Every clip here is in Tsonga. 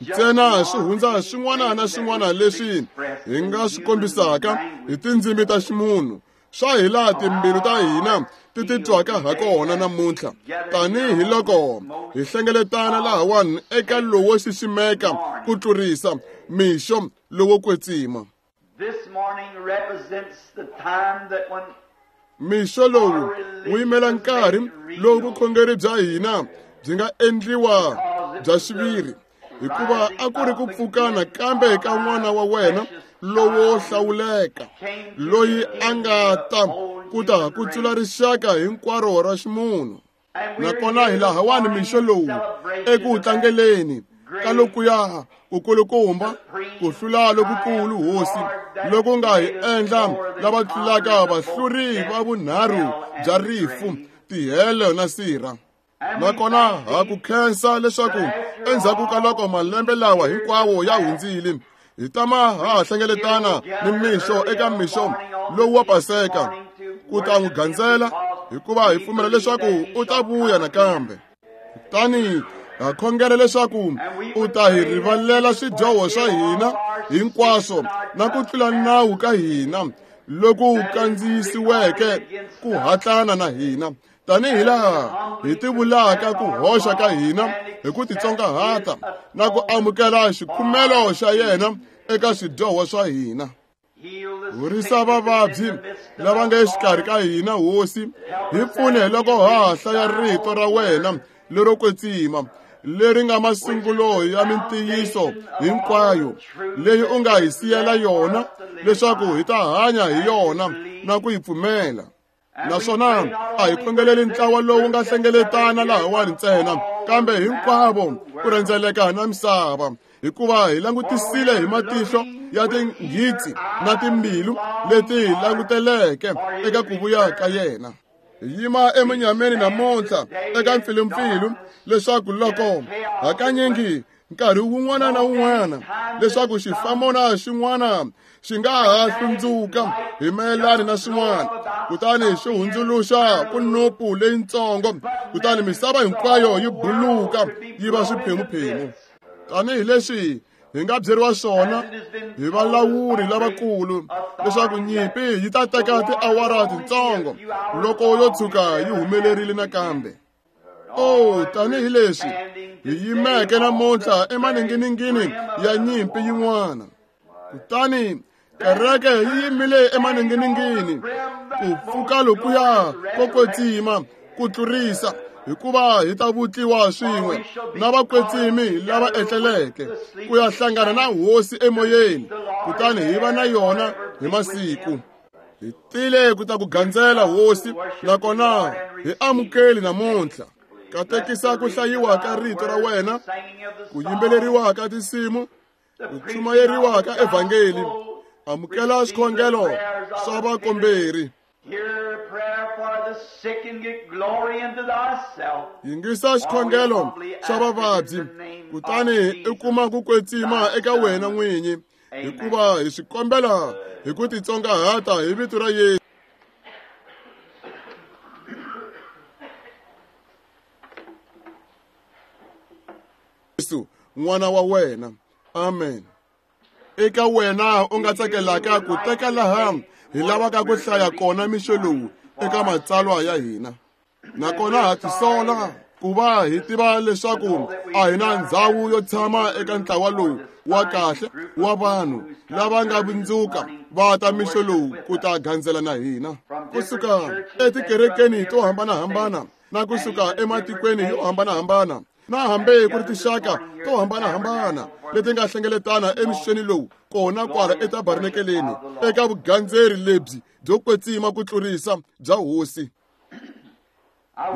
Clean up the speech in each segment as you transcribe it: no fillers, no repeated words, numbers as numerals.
Ntsena swi hundza swin'wana na swin'wana leswi hi nga swi kombisaka hi tindzimi ta ximunhu swa hi laha timbilu ta hina ti titwaka ha kona namuntlha, tanihi loko hi hlengeletana lahawani eka lowo xiximeka ku tlurisa mixo lowo kwetsima. Mixo lowu wu yimela nkarhi lowu vukhongeri bya hina byi nga endliwa bya xiviri, hikuva a ku ri ku pfukana kambe ka n'wana wa wena lowo hlawuleka, loyi a nga ta ku ta kutsula rixaka hinkwaro ra ximunhu. Nakona hi lahawani mixo lowu eku tlangeleni ka lokuya kukulukumba ku hlula lokukulu hosi loku nga hi endla lava tlulaka vahluri va vunharhu bya rifu, tihele na sirha. Nakona ha ku khensa leswaku endzhaku ka loko malembe lawa hinkwawo ya hundzile, hi tama ha hlengeletana ni mixo eka mixo lowu wa Paseka ku ta n'wi gandzela, hikuva hi pfumela leswaku u ta vuya nakambe. Kutani ha khongela leswaku u ta hi rivalela swidyoho swa hina hinkwaswo na ku tlula nawu ka hina loku kandziyisiweke ku hatlana na hina, tanihi laha hi tivulaka ku hoxa ka hina hi ku titsongahata na ku amukela xikhumelo xa yena eka swidyoho swa hina. Horisa vavabyi lava nga exikarhi ka hina, Hosi, hi pfune loko ha hlaya rito ra wena lero kwetsima, leri nga masungulo ya mintiyiso hinkwayo leyi u nga hi siyela yona leswaku hi ta hanya hi yona na ku yi pfumela. Naswona a hi khongeleli ntlawa lowu nga hlengeletana lahawani ntsena, kambe hinkwavo ku rhendzeleka na misava, hikuva hi langutisile hi matihlo ya tinghitsi na timbilu leti hi languteleke eka ku vuya ka yena. Hi yima emunyameni namuntlha eka mpfilumpfilu, leswaku loko hakanyingi nkarhi wun'wana na wun'wana leswaku xifamona xin'wana xi nga ha hlundzuka hi mayelana na swin'wana, kutani xi hundzuluxa kunupu leyitsongo, kutani misava hinkwayo yi buluka yi va swiphemuphemu. Tanihi leswi hi nga byeriwa swona hi valawuri lavakulu leswaku nyimpi yi ta teka tiawara tintsongo loko yo tshuka yi humelerile nakambe. Oh, tanihi leswi hi yimeke namuntlha emaninginingini ya nyimpi yin'wana, kutani kereke yi yimile emaninginingini ku pfuka lokuya ko kwetsima ku tlurisa, hikuva hi ta vutliwa swin'we na vakwetsimi lava etleleke ku ya hlangana na Hosi emoyeni, kutani hi va na yona hi masiku. Hi tile ku ta ku gandzela Hosi, nakona hi amukeli namuntlha. Katekisa ku hlayiwa ka rito ra wena, ku yimbeleriwa ka tinsimu, ku chumayeriwa ka evhangeli. Amukela swikhongelo swa vakomberi. Yingisa xikhongelo xa vavabyi, kutani u kuma ku kwetsima eka wena n'winyi, hikuva hi swi kombela hi ku titsongahata hi vito ra Yesu. Yesu, n'wana wa wena. Amen. Eka wena u nga tsakelaka ku teka laha hi lavaka ku hlaya kona mixo lowu eka matsalwa ya hina. Nakona ha tisola ku va hi tiva leswaku a hi na ndhawu yo tshama eka ntlawa lowu wa kahle wa vanhu lava nga vundzuka va ta mixo lowu ku ta gandzela na hina, kusuka etikerekeni to hambanahambana na kusuka ematikweni yo hambanahambana, na hambi ku ri tinxaka to hambanahambana leti nga hlengeletana emixeni lowu kona kwala etabarnakeleni eka vugandzeri lebyi byo kwetsima ku tlurisa bya Hosi.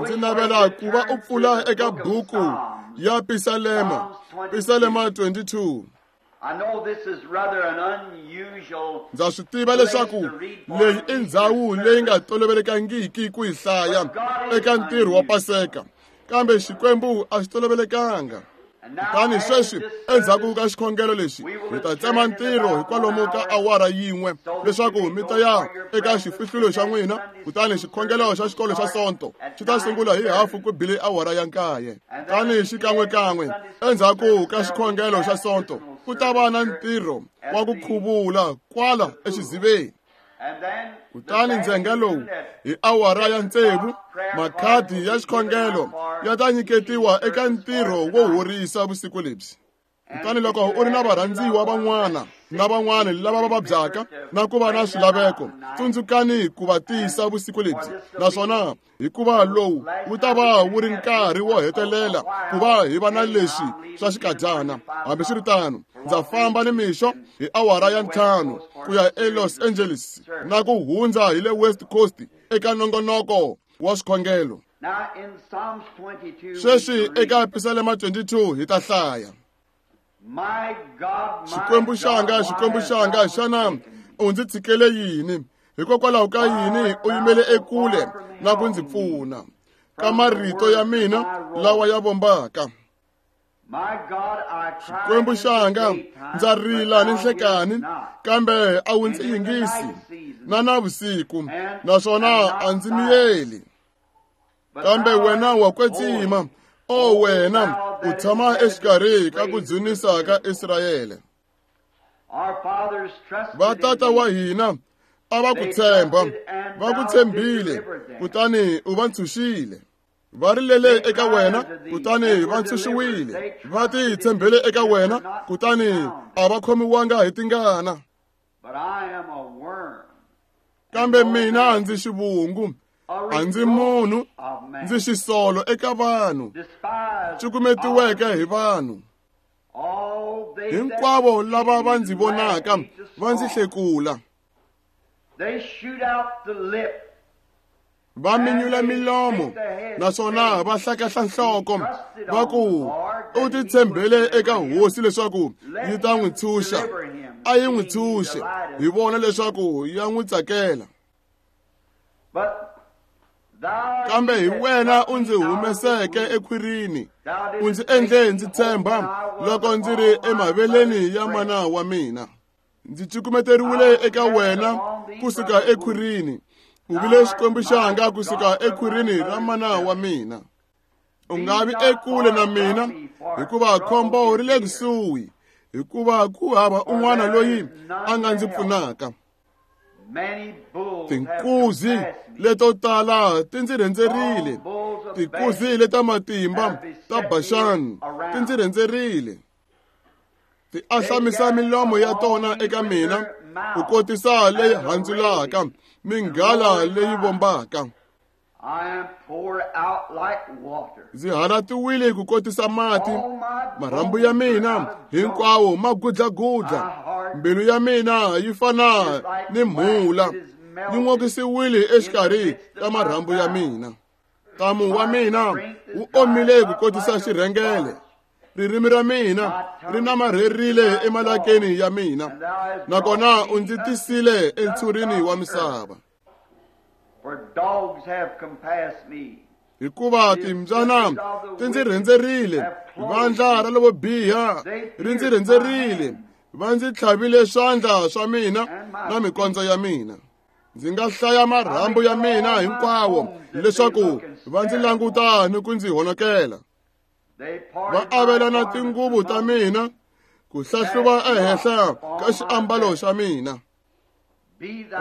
Ndzi navela ku va u pfula eka buku ya Pisalema, Pisalema 22. Ndza swi tiva leswaku leyi i ndhawu leyi nga tolovelekangiki ku yi hlaya eka ntirho wa Paseka, kambe Xikwembu a xi tolovelekanga. Kutani sweswi endzhaku ka xikhongelo lexi hi ta tsema ntirho hi kwalomu ka awara yin'we leswaku mi ta ya eka xifihlulo xa n'wina. Kutani xikhongelo xa xikolo xa Sonto xi ta sungula hi 9:30. Kutani xikan'wekan'we endzhaku ka xikhongelo xa Sonto ku ta va na ntirho wa ku khuvula kwala exiziveni. Kutani ndzhenga lowu hi 6:00 makhadi ya xikhongelo ya ta nyiketiwa eka ntirho wo horisa vusiku lebyi. Kutani loko u ri na varhandziwa van'wana na van'wana lava va vabyaka na ku va na swilaveko, tsundzukani ku va tisa vusiku lebyi, naswona hikuva lowu wu ta va wu ri nkarhi wo hetelela ku va hi va na leswi swa xikadyana. Hambiswiritano, ndza famba nimixo hi 5:00 ku ya eLos Angeles na ku hundza hi le West Coast eka nongonoko wa swikhongelo. Sweswi eka Pisalema 22 hi ta hlaya. Xikwembu xanga, Xikwembu xanga, xana u ndzi tshikele yini? Hikokwalaho ka yini u yimele ekule na ku ndzi pfuna ka marito ya mina lawa ya vombaka? Xikwembu xanga, ndza rila ni nhlekani, kambe a wu ndzi yingisi na navusiku, naswona a ndzi miyeli. Kambe wena wa kwetsima, o wena u tshama exikarhi ka ku dzunisa ka Israyele. Vatata wa hina a va ku tshemba, va ku tshembile, kutani u va ntshunxile. Va rilele eka wena, kutani va ntshunxiwile. Va titshembele eka wena, kutani a va khomiwanga hi tingana. Kambe mina ndzi xivungu, a ndzi munhu, ndzi xisolo eka vanhu, cukumetiweke hi vanhu. Hinkwavo lava va ndzi vonaka va ndzi hlekula. Va minyula milomo naswona va hlakahla nhloko, va ku u titshembele eka hosi leswaku yi ta n'wi tshunxa. A yi n'wi tshunxe, hi vona leswaku ya n'wi tsakela. Kambe hi wena u ndzi humeseke ekhwirini, u ndzi endle ndzi tshemba loko ndzi ri emaveleni ya mana wa mina. Ndzi cukumeteriwile eka wena kusuka ekhwirini, u vile Xikwembu xanga kusuka ekhwirini ra mana wa mina. U nga vi ekule na mina, hikuva khombo ri le kusuhi, hikuva ku hava un'wana loyi a nga ndzi pfunaka. Tinkuzi leto tala ti ndzi rhendzerile, tinkuzi leta matimba ta Baxani ti ndzi rhendzerile. Ti ahlamisa milomo ya tona eka mina ku kotisa leyi handzulaka minghala leyi vombaka. Ndzi halatiwile ku kotisa mati, marhambu ya mina hinkwawo ma gudlagudla, mbilu ya mina yi fana ni mhula, yi n'okisiwile exikarhi ka marhambu ya mina. Ntamu wa mina wu omile ku kotisa xirhengele, ririmi ra mina ri namarherile emalakeni ya mina, nakona u ndzi tisile entshurini wa misava. Hikuva timbyana ti ndzi rhendzerile, vandla ra lavo biha ri ndzi rhendzerile, va ndzi tlhavile swandla swa mina na mikondzo ya mina. Ndzi nga hlaya marhambu ya mina hinkwawo leswaku va ndzi languta ni ku ndzi honokela. Va avelana tinguvu ta mina ku hlahluva ehenhla ka xiambalo xa mina.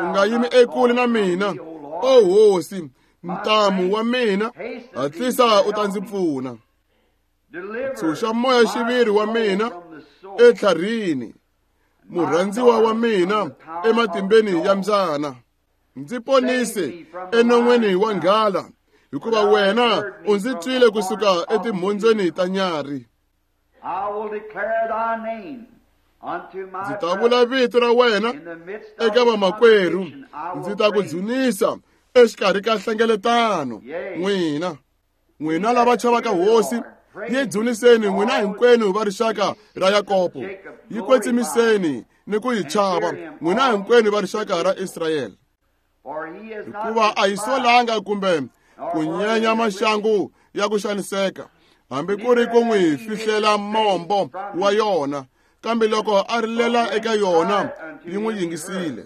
U nga yimi ekule na mina, o hosi, ntamu wa mina, hatlisa u ta ndzi pfuna. Tshunxa moya xiviri wa mina etlharini, murhandziwa wa mina ematimbeni ya mbyana. Ndzi ponise enon'weni wa nghala, hikuva wena u ndzi twile kusuka etimhondzweni ta nyarhi. Ndzi ta vula vito ra wena eka vamakwerhu, ndzi ta ku dzunisa exikarhi ka hlengeletano. N'wina, n'wina lava chavaka hosi, yi dzuniseni n'wina hinkwenu va rixaka ra Yakobo, yi kwetsimiseni ni ku yi chava n'wina hinkwenu va rixaka ra Israyele. Hikuva a yi solanga kumbe ku nyenya maxangu ya ku xaniseka, hambi ku ri ku n'wi fihlela mombo wa yona, kambe loko a rilela eka yona yi n'wi yingisile.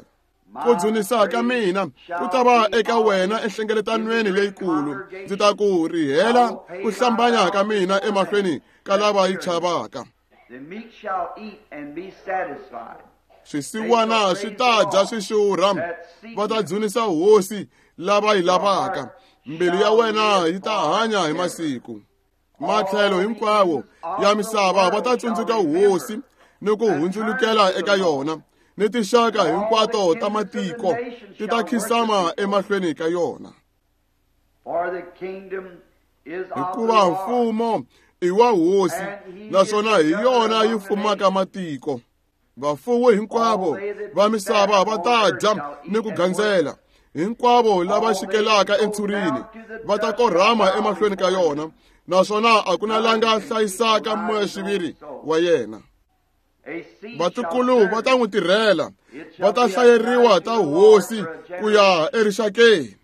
Ku dzunisa ka mina ku ta va eka wena enhlengeletanweni leyikulu, ndzi ta ku rihela ku hlambanya ka mina emahlweni ka lava yi chavaka. Swisiwana swi ta dya swi xurha, va ta dzunisa hosi lava yi lavaka. Mbilu ya wena yi ta hanya hi masiku. Matlhelo hinkwawo ya misava va ta tsundzuka hosi ni ku hundzulukela eka yona, ni tinxaka hinkwato ta matiko ti ta khisama emahlweni ka yona. Hikuva mfumo i wa hosi, naswona hi yona yi fumaka matiko. Vafuwi hinkwavo va misava va ta dya ni ku gandzela, hinkwavo lava xikelaka entshurini va ta korhama emahlweni ka yona, naswona a ku na la nga hlayisaka moya-xiviri wa yena. Vatukulu va ta n'wi tirhela, va ta hlayeriwa ta hosi ku ya erixakeni.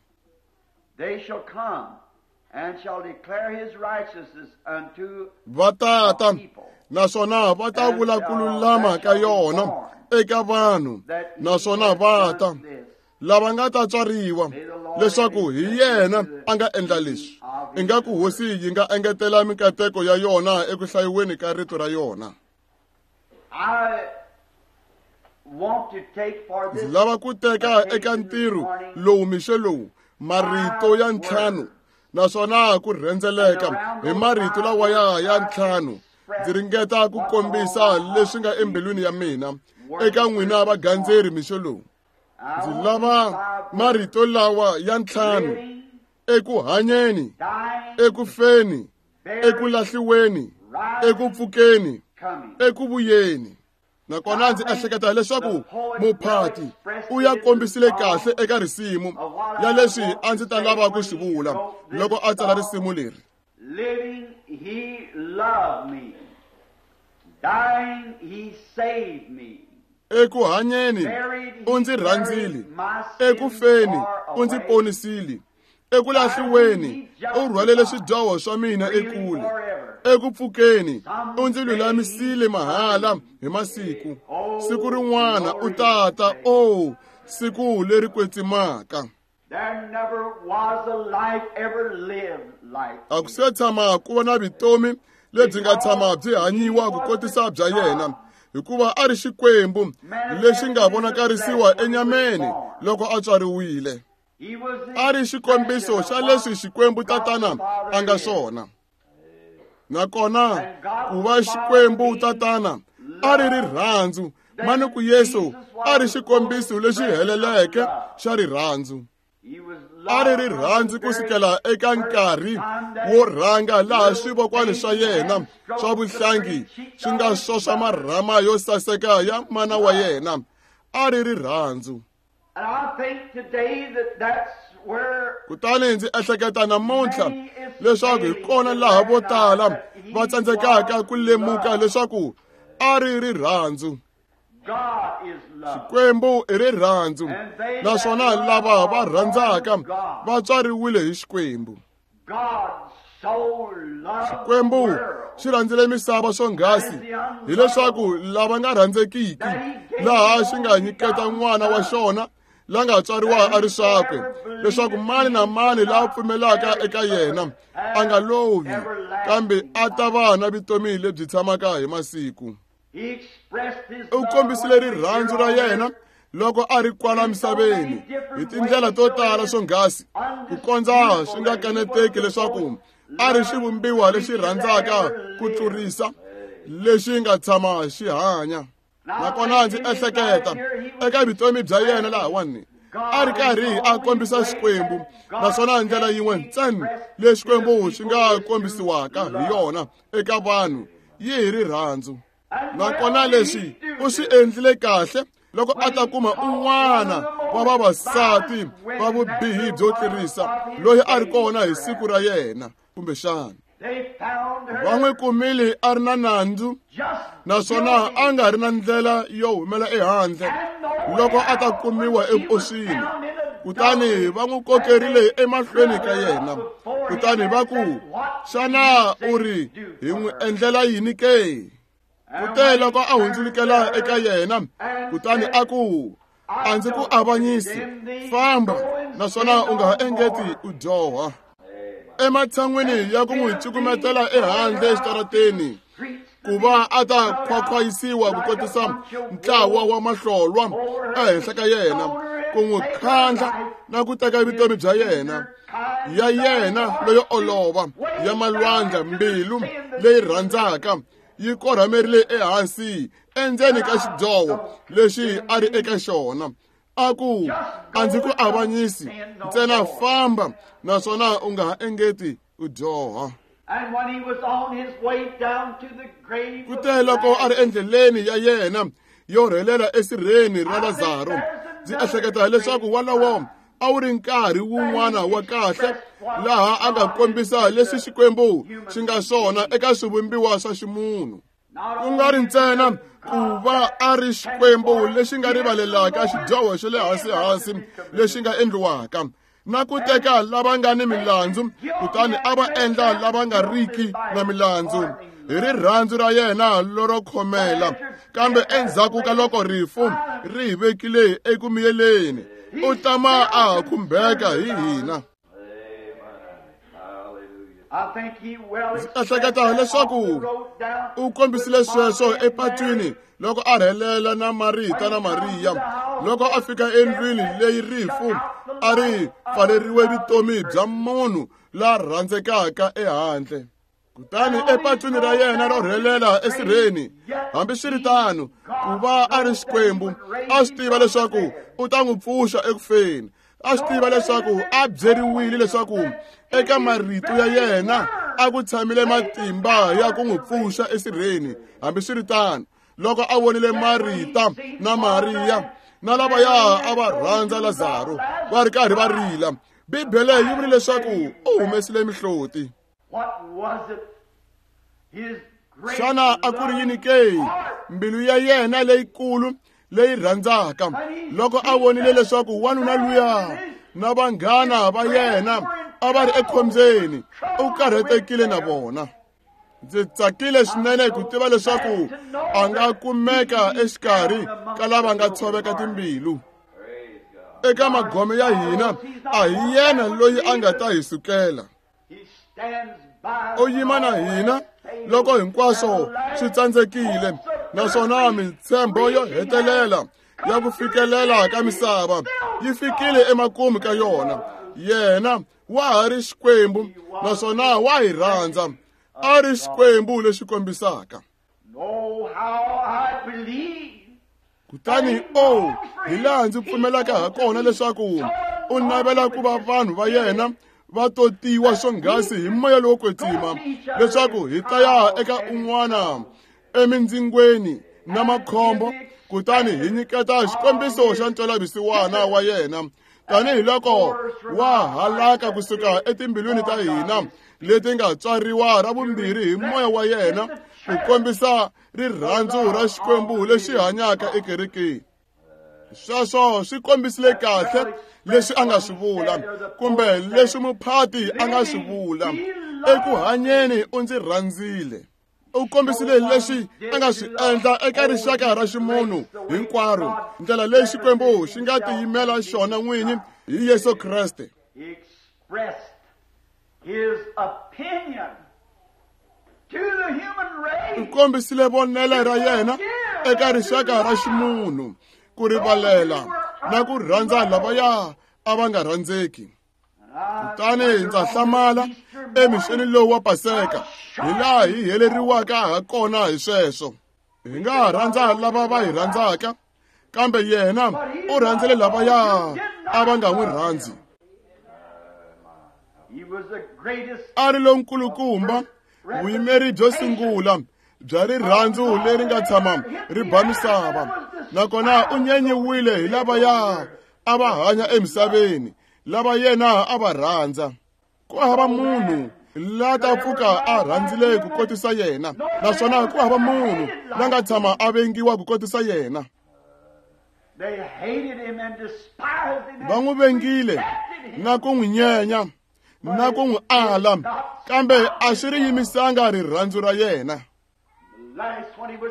Va tata naswona va ta vula ku lulama ka yona eka vanhu, naswona va ta lava nga ta tswariwa leswaku hi yena a nga endla leswi. Ingaku hosi yi nga engetela mikateko ya yona eku hlayiweni ka rito ra yona. Ndzi lava ku teka eka ntirho lowu mixo lowu marito ya ntlhanu, naswona ku rhendzeleka hi marito lawa ya ntlhanu ndzi ringeta ku kombisa leswi nga embilwini ya mina eka n'wina vagandzeri mixo lowu. Ndzi lava marito lawa ya ntlhanu: eku hanyeni, eku feni, eku lahliweni, eku pfukeni, eku vuyeni. Nakona ndzi ehleketa leswaku muphati u ya kombisile kahle eka risimu ya leswi a ndzi ta lava ku swi vula loko a tsala risimu leri. Living, he loved me. Dying, he saved me. Eku hanyeni u ndzi rhandzile, eku feni u ndzi ponisile, eku lahliweni u rhwalele swidyoho swa mina ekule, eku pfukeni u ndzi lulamisile mahala hi masiku. Siku rin'wana u tata, o siku leri kwetsimaka. A ku se tshama ku va na vutomi lebyi nga tshama byi hanyiwa ku kotisa bya yena, hikuva a ri Xikwembu lexi nga vonakarisiwa enyameni loko a tswariwile. A ri xikombiso xa leswi Xikwembu Tatana a nga swona. Nakona ku va Xikwembu Tatana a ri rirhandzu, manuku Yesu a ri xikombiso lexi heleleke xa rirhandzu. A ri rirhandzu kusukela eka nkarhi wo rhanga laha swivokwani swa yena swa vuhlangi swi nga swoswa marhama yo saseka ya mana wa yena. A ri rirhandzu. Kutani ndzi ehleketa namuntlha leswaku hi kona laha vo tala va tsandzekaka ku lemuka leswaku a ri rirhandzu. Xikwembu i rirhandzu, naswona lava va rhandzaka va tswariwile hi Xikwembu. Xikwembu xi rhandzile misava swonghasi hileswaku lava nga rhandzekiki laha xi nga nyiketa n'wana wa xona la nga tswariwa a ri swakwe, leswaku mani na mani la pfumelaka eka yena a nga lovi, kambe a ta va na vutomi lebyi tshamaka hi masiku. U kombisile rirhandzu ra yena loko a ri kwala misaveni hi tindlela to tala swonghasi, ku kondza swi nga kaneteki leswaku a ri xivumbiwa lexi rhandzaka ku tlurisa lexi nga tshama xi hanya. Nakona ndzi ehleketa eka vutomi bya yena lahawani a ri karhi a kombisa Xikwembu, naswona ndlela yin'we ntsena leyi Xikwembu xi nga kombisiwaka hi yona eka vanhu yi hi rirhandzu. Nakona leswi u swi endlile kahle loko a ta kuma un'wana wa vavasati va vubihi byo tlurisa loyi a ri kona hi siku ra yena, kumbexana va n'wi kumile a ri na nandzu, naswona a nga ri na ndlela yo humela ehandle loko a ta kumiwa evuoswini. Kutani va n'wi kokerile emahlweni ka yena. Kutani va ku, xana u ri hi n'wi endlela yini ke? Kute loko a hundzulukela eka yena, kutani a ku, a ndzi ku avanyisi, famba, naswona u nga ha engeti u dyoha. Ematshan'wini ya ku n'wi cukumetela ehandle exitarateni, ku va a ta khwakhwayisiwa ku kotisa ntlawa wa mahlolwa ehenhla ka yena, ku n'wi khandla na ku teka vutomi bya yena, ya yena leyo olova ya malwandla, mbilu leyi rhandzaka yi korhamerile ehansi endzeni ka xidyoho lexi a ri eka xona. A ku, a ndzi ku avanyisi, ntsena famba, naswona u nga ha engeti u dyoha. Kute loko a ri endleleni ya yena yo rhelela esirheni ra Lazaro, ndzi ehleketa leswaku walowo a wu ri nkarhi wun'wana wa kahle laha a nga kombisa leswi Xikwembu xi nga swona eka swivumbiwa swa ximunhu. Ku nga ri ntsena ku va a ri Xikwembu lexi nga rivalelaka xidyoho xa le hansi-hansi lexi nga endliwaka, na ku teka lava nga ni milandzu kutani a va endla lava nga riki na milandzu hi rirhandzu ra yena lero khomela. Kambe endzhaku ka loko rifu ri hi vekile eku miyeleni, u tama a ha khumbeka hi hina. Ndzi ehleketa leswaku u kombisile sweswo epatwini loko a rhelela na Marita na Mariya, loko a fika endlwini leyi rifu a ri pfaleriwe vutomi bya munhu la rhandzekaka ehandle. Kutani epatwini ra yena ro rhelela esirheni, hambiswiritano, ku va a ri Xikwembu, a swi tiva leswaku u ta n'wi pfuxa ekufeni. A swi tiva leswaku a byeriwile leswaku eka marito ya yena a ku tshamile matimba ya ku n'wi pfuxa esirheni. Hambiswiritano, loko a vonile Marita na Mariya na lavaya a va rhandza Lazaro va ri karhi va rila, Bibele yi vule leswaku u humesile mihloti. Xana a ku ri yini ke? Mbilu ya yena leyikulu leyi rhandzaka, loko a vonile leswaku wanuna luya na vanghana va yena a va ri ekhombyeni, u karhatekile na vona. Ndzi tsakile swinene ku tiva leswaku a nga kumeka exikarhi ka lava nga tshoveka timbilu. Eka magome ya hina, a hi yena loyi a nga ta hi sukela. U yima na hina loko hinkwaswo swi tsandzekile, naswona mintshembo yo hetelela ya ku fikelela ka misava yi fikile emakumu ka yona. Yena wa ha ri Xikwembu naswona wa hi rhandza, a ri Xikwembu lexi kombisaka. Kutani o, hi laha ndzi pfumelaka ha kona leswaku u navela ku va vanhu va yena va totiwa swonghasi hi moya lowo kwetsima, leswaku hi ta ya eka un'wana emindzingweni na makhombo, kutani hi nyiketa xikombiso xa ntwelavusiwana wa yena, tanihiloko wa halaka kusuka etimbilwini ta hina leti nga tswariwa ra vumbirhi hi moya wa yena, ku kombisa rirhandzu ra Xikwembu lexi hanyaka ekerekeni. Sweswo swi kombisile kahle leswi a nga swi vula, kumbe leswi muphati a nga swi vula. Eku hanyeni u ndzi rhandzile. U kombisile leswi a nga swi endla eka rixaka ra ximunhu hinkwaro, ndlela leyi Xikwembu xi nga tiyimela xona n'winyi hi Yesu Kreste. U kombisile vonelo ra yena eka rixaka ra ximunhu, ku rivalela na ku rhandza lavaya a va nga rhandzeki. Kutani ndza hlamala emixeni lowu wa Paseka, hi laha hi heleriwaka ha kona hi sweswo. Hi nga rhandza lava va hi rhandzaka, kambe yena u rhandzile lavaya a va nga n'wi rhandzi. A ri lonkulukumba, vuyimeri byo sungula bya rirhandzu leri nga tshama ri ba misava, nakona u nyenyiwile hi lavaya a va hanya emisaveni, lava yena a va rhandza. Ku hava munhu la ta pfuka a rhandzile ku kotisa yena, naswona ku hava munhu la nga tshama a vengiwa ku kotisa yena. Va n'wi vengile na ku n'wi nyenya na ku n'wi ala, kambe a swi ri yimisanga rirhandzu ra yena.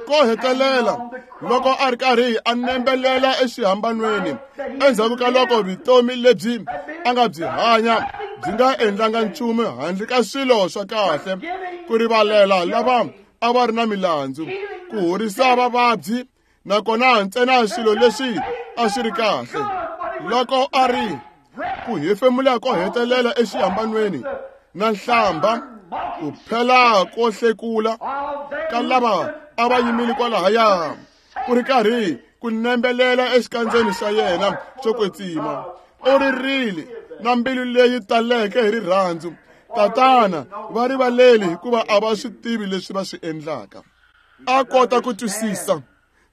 Ko hetelela loko a ri karhi a nembelela exihambanweni endzhaku ka loko vutomi lebyi a nga byi hanya byi nga endlanga nchumu handle ka swilo swa kahle, ku rivalela lava a va ri na milandzu, ku horisa vavabyi, nakona ntsena swilo leswi a swi ri kahle. Loko a ri ku hefemula ko hetelela exihambanweni na nhlamba, ku phela ko hlekula ka lava a va yimile kwalahaya, ku ri karhi ku nembelela exikandzeni xa yena xo kwetsima, u ririle na mbilu leyi taleke hi rirhandzu, Tatana, va rivaleli hikuva a va swi tivi leswi va swi endlaka. A kota ku twisisa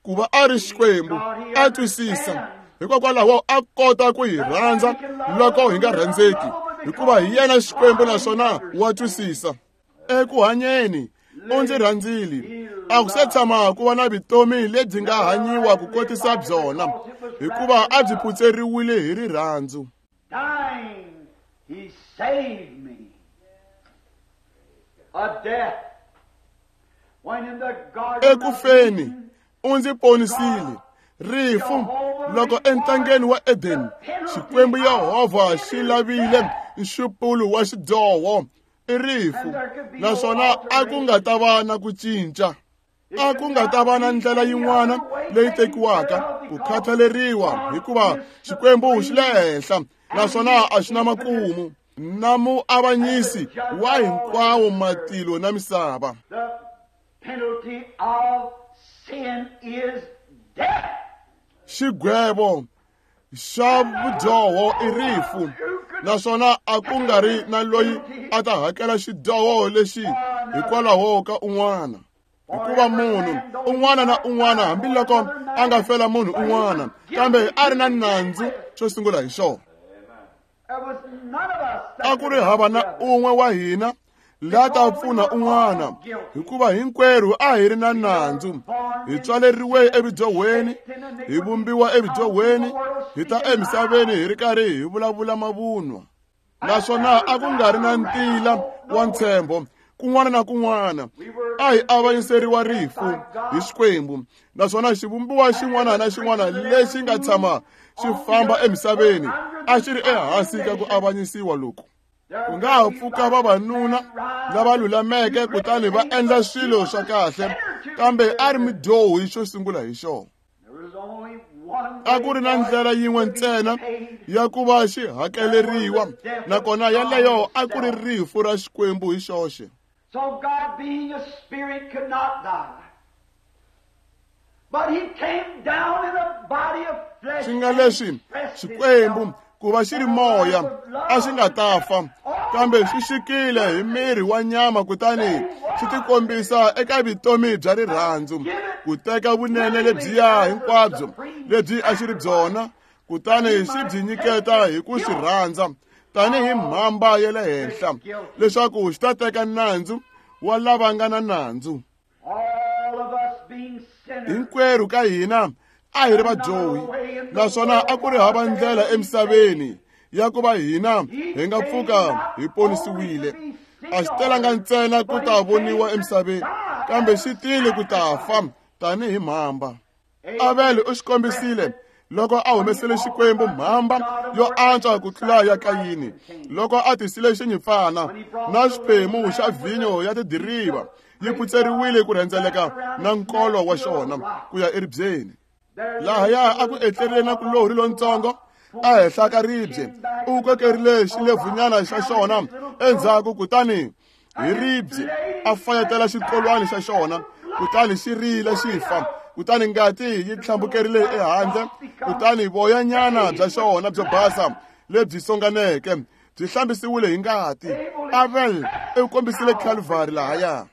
ku va a ri Xikwembu, a twisisa hikokwalaho a kota ku hi rhandza loko hi nga rhandzeki, hikuva hi yena Xikwembu naswona wa twisisa. Eku hanyeni u ndzi rhandzile, a ku se tshama ku va na vutomi lebyi nga hanyiwa ku kotisa byona, hikuva a byi phutseriwile hi rirhandzu. Dying, he saved me. A death. When in the garden Eku feni u ndzi ponisile. Rifu loko entangeni wa Eden Xikwembu Yehovha xi lavile nxupulo wa xidyoho i rifu, naswona a ku nga ta va na ku cinca. A ku nga ta va na ndlela yin'wana leyi tekiwaka ku khathaleriwa, hikuva Xikwembu xi le henhla naswona a xi na makumu, na muavanyisi wa hinkwawo matilo na misava. The penalty of sin is death. Xigwevo xa vudyoho i rifu, naswona a ku nga ri na loyi a ta hakela xidyoho lexi hikwalaho ka un'wana, hikuva munhu un'wana na un'wana, hambiloko a nga fela munhu un'wana, kambe a ri na nandzu xo sungula hi xona. There was none of us that A ku ri hava na un'we wa hina la ta pfuna un'wana, hikuva hinkwerhu a hi ri na nandzu. Hi tswaleriwe evudyohweni, hi vumbiwa evudyohweni, hi ta emisaveni hi ri karhi hi vulavula mavunwa, naswona a ku nga ri na ntila wa ntshembo kun'wana na kun'wana. A hi avanyiseriwa rifu hi Xikwembu, naswona xivumbiwa xin'wana na xin'wana lexi nga tshama xi famba emisaveni a xi ri ehansi ka ku avanyisiwa loku. Ku nga ha pfuka vavanuna lava lulameke kutani va endla swilo swa kahle, kambe a ri mudyohi xo sungula hi xona. There was only one A ku ri na ndlela yin'we ntsena ya ku va xi hakeleriwa, nakona yaleyo a ku ri rifu ra Xikwembu hi xoxe. So God, being a spirit, could not die. But he came down in a body of flesh. Xi nga leswi Xikwembu ku va xi ri moya a xi nga ta fa, kambe xi xikile hi miri wa nyama kutani xi tikombisa eka vutomi bya rirhandzu, ku teka vunene lebyiya hinkwabyo lebyi a xi ri byona, kutani xi byi nyiketa hi ku swi rhandza tanihi mhamba ya le henhla, leswaku xi ta teka nandzu wa lava nga na nandzu. All of us being sinners. Hinkwerhu ka hina a hi ri vadyohi, naswona a ku ri hava ndlela emisaveni ya ku va hina hi nga pfuka hi ponisiwile. A xi telanga ntsena ku ta voniwa emisaveni, kambe xi tile ku ta fa tanihi mhamba. Avele u xi kombisile loko a humesele Xikwembu mhamba yo antswa ku tlula ya Kayini, loko a tisile xinyimpfana na xiphemu xa vhinyo ya tidiriva yi phutseriwile ku rhendzeleka na nkolo wa xona ku ya eribyeni. Lahaya a ku etlerile na kulohri lontsongo ehenhla ka ribye, u kokerile xilevunyana xa xona endzhaku, kutani hi ribye a fayetela xikolwani xa xona, kutani xi rile xi fa, kutani ngati yi tlhambukerile ehandle, kutani voyanyana bya xona byo basa lebyi songaneke byi hlambisiwile hi ngati. Abel u kombisile Calvary lahaya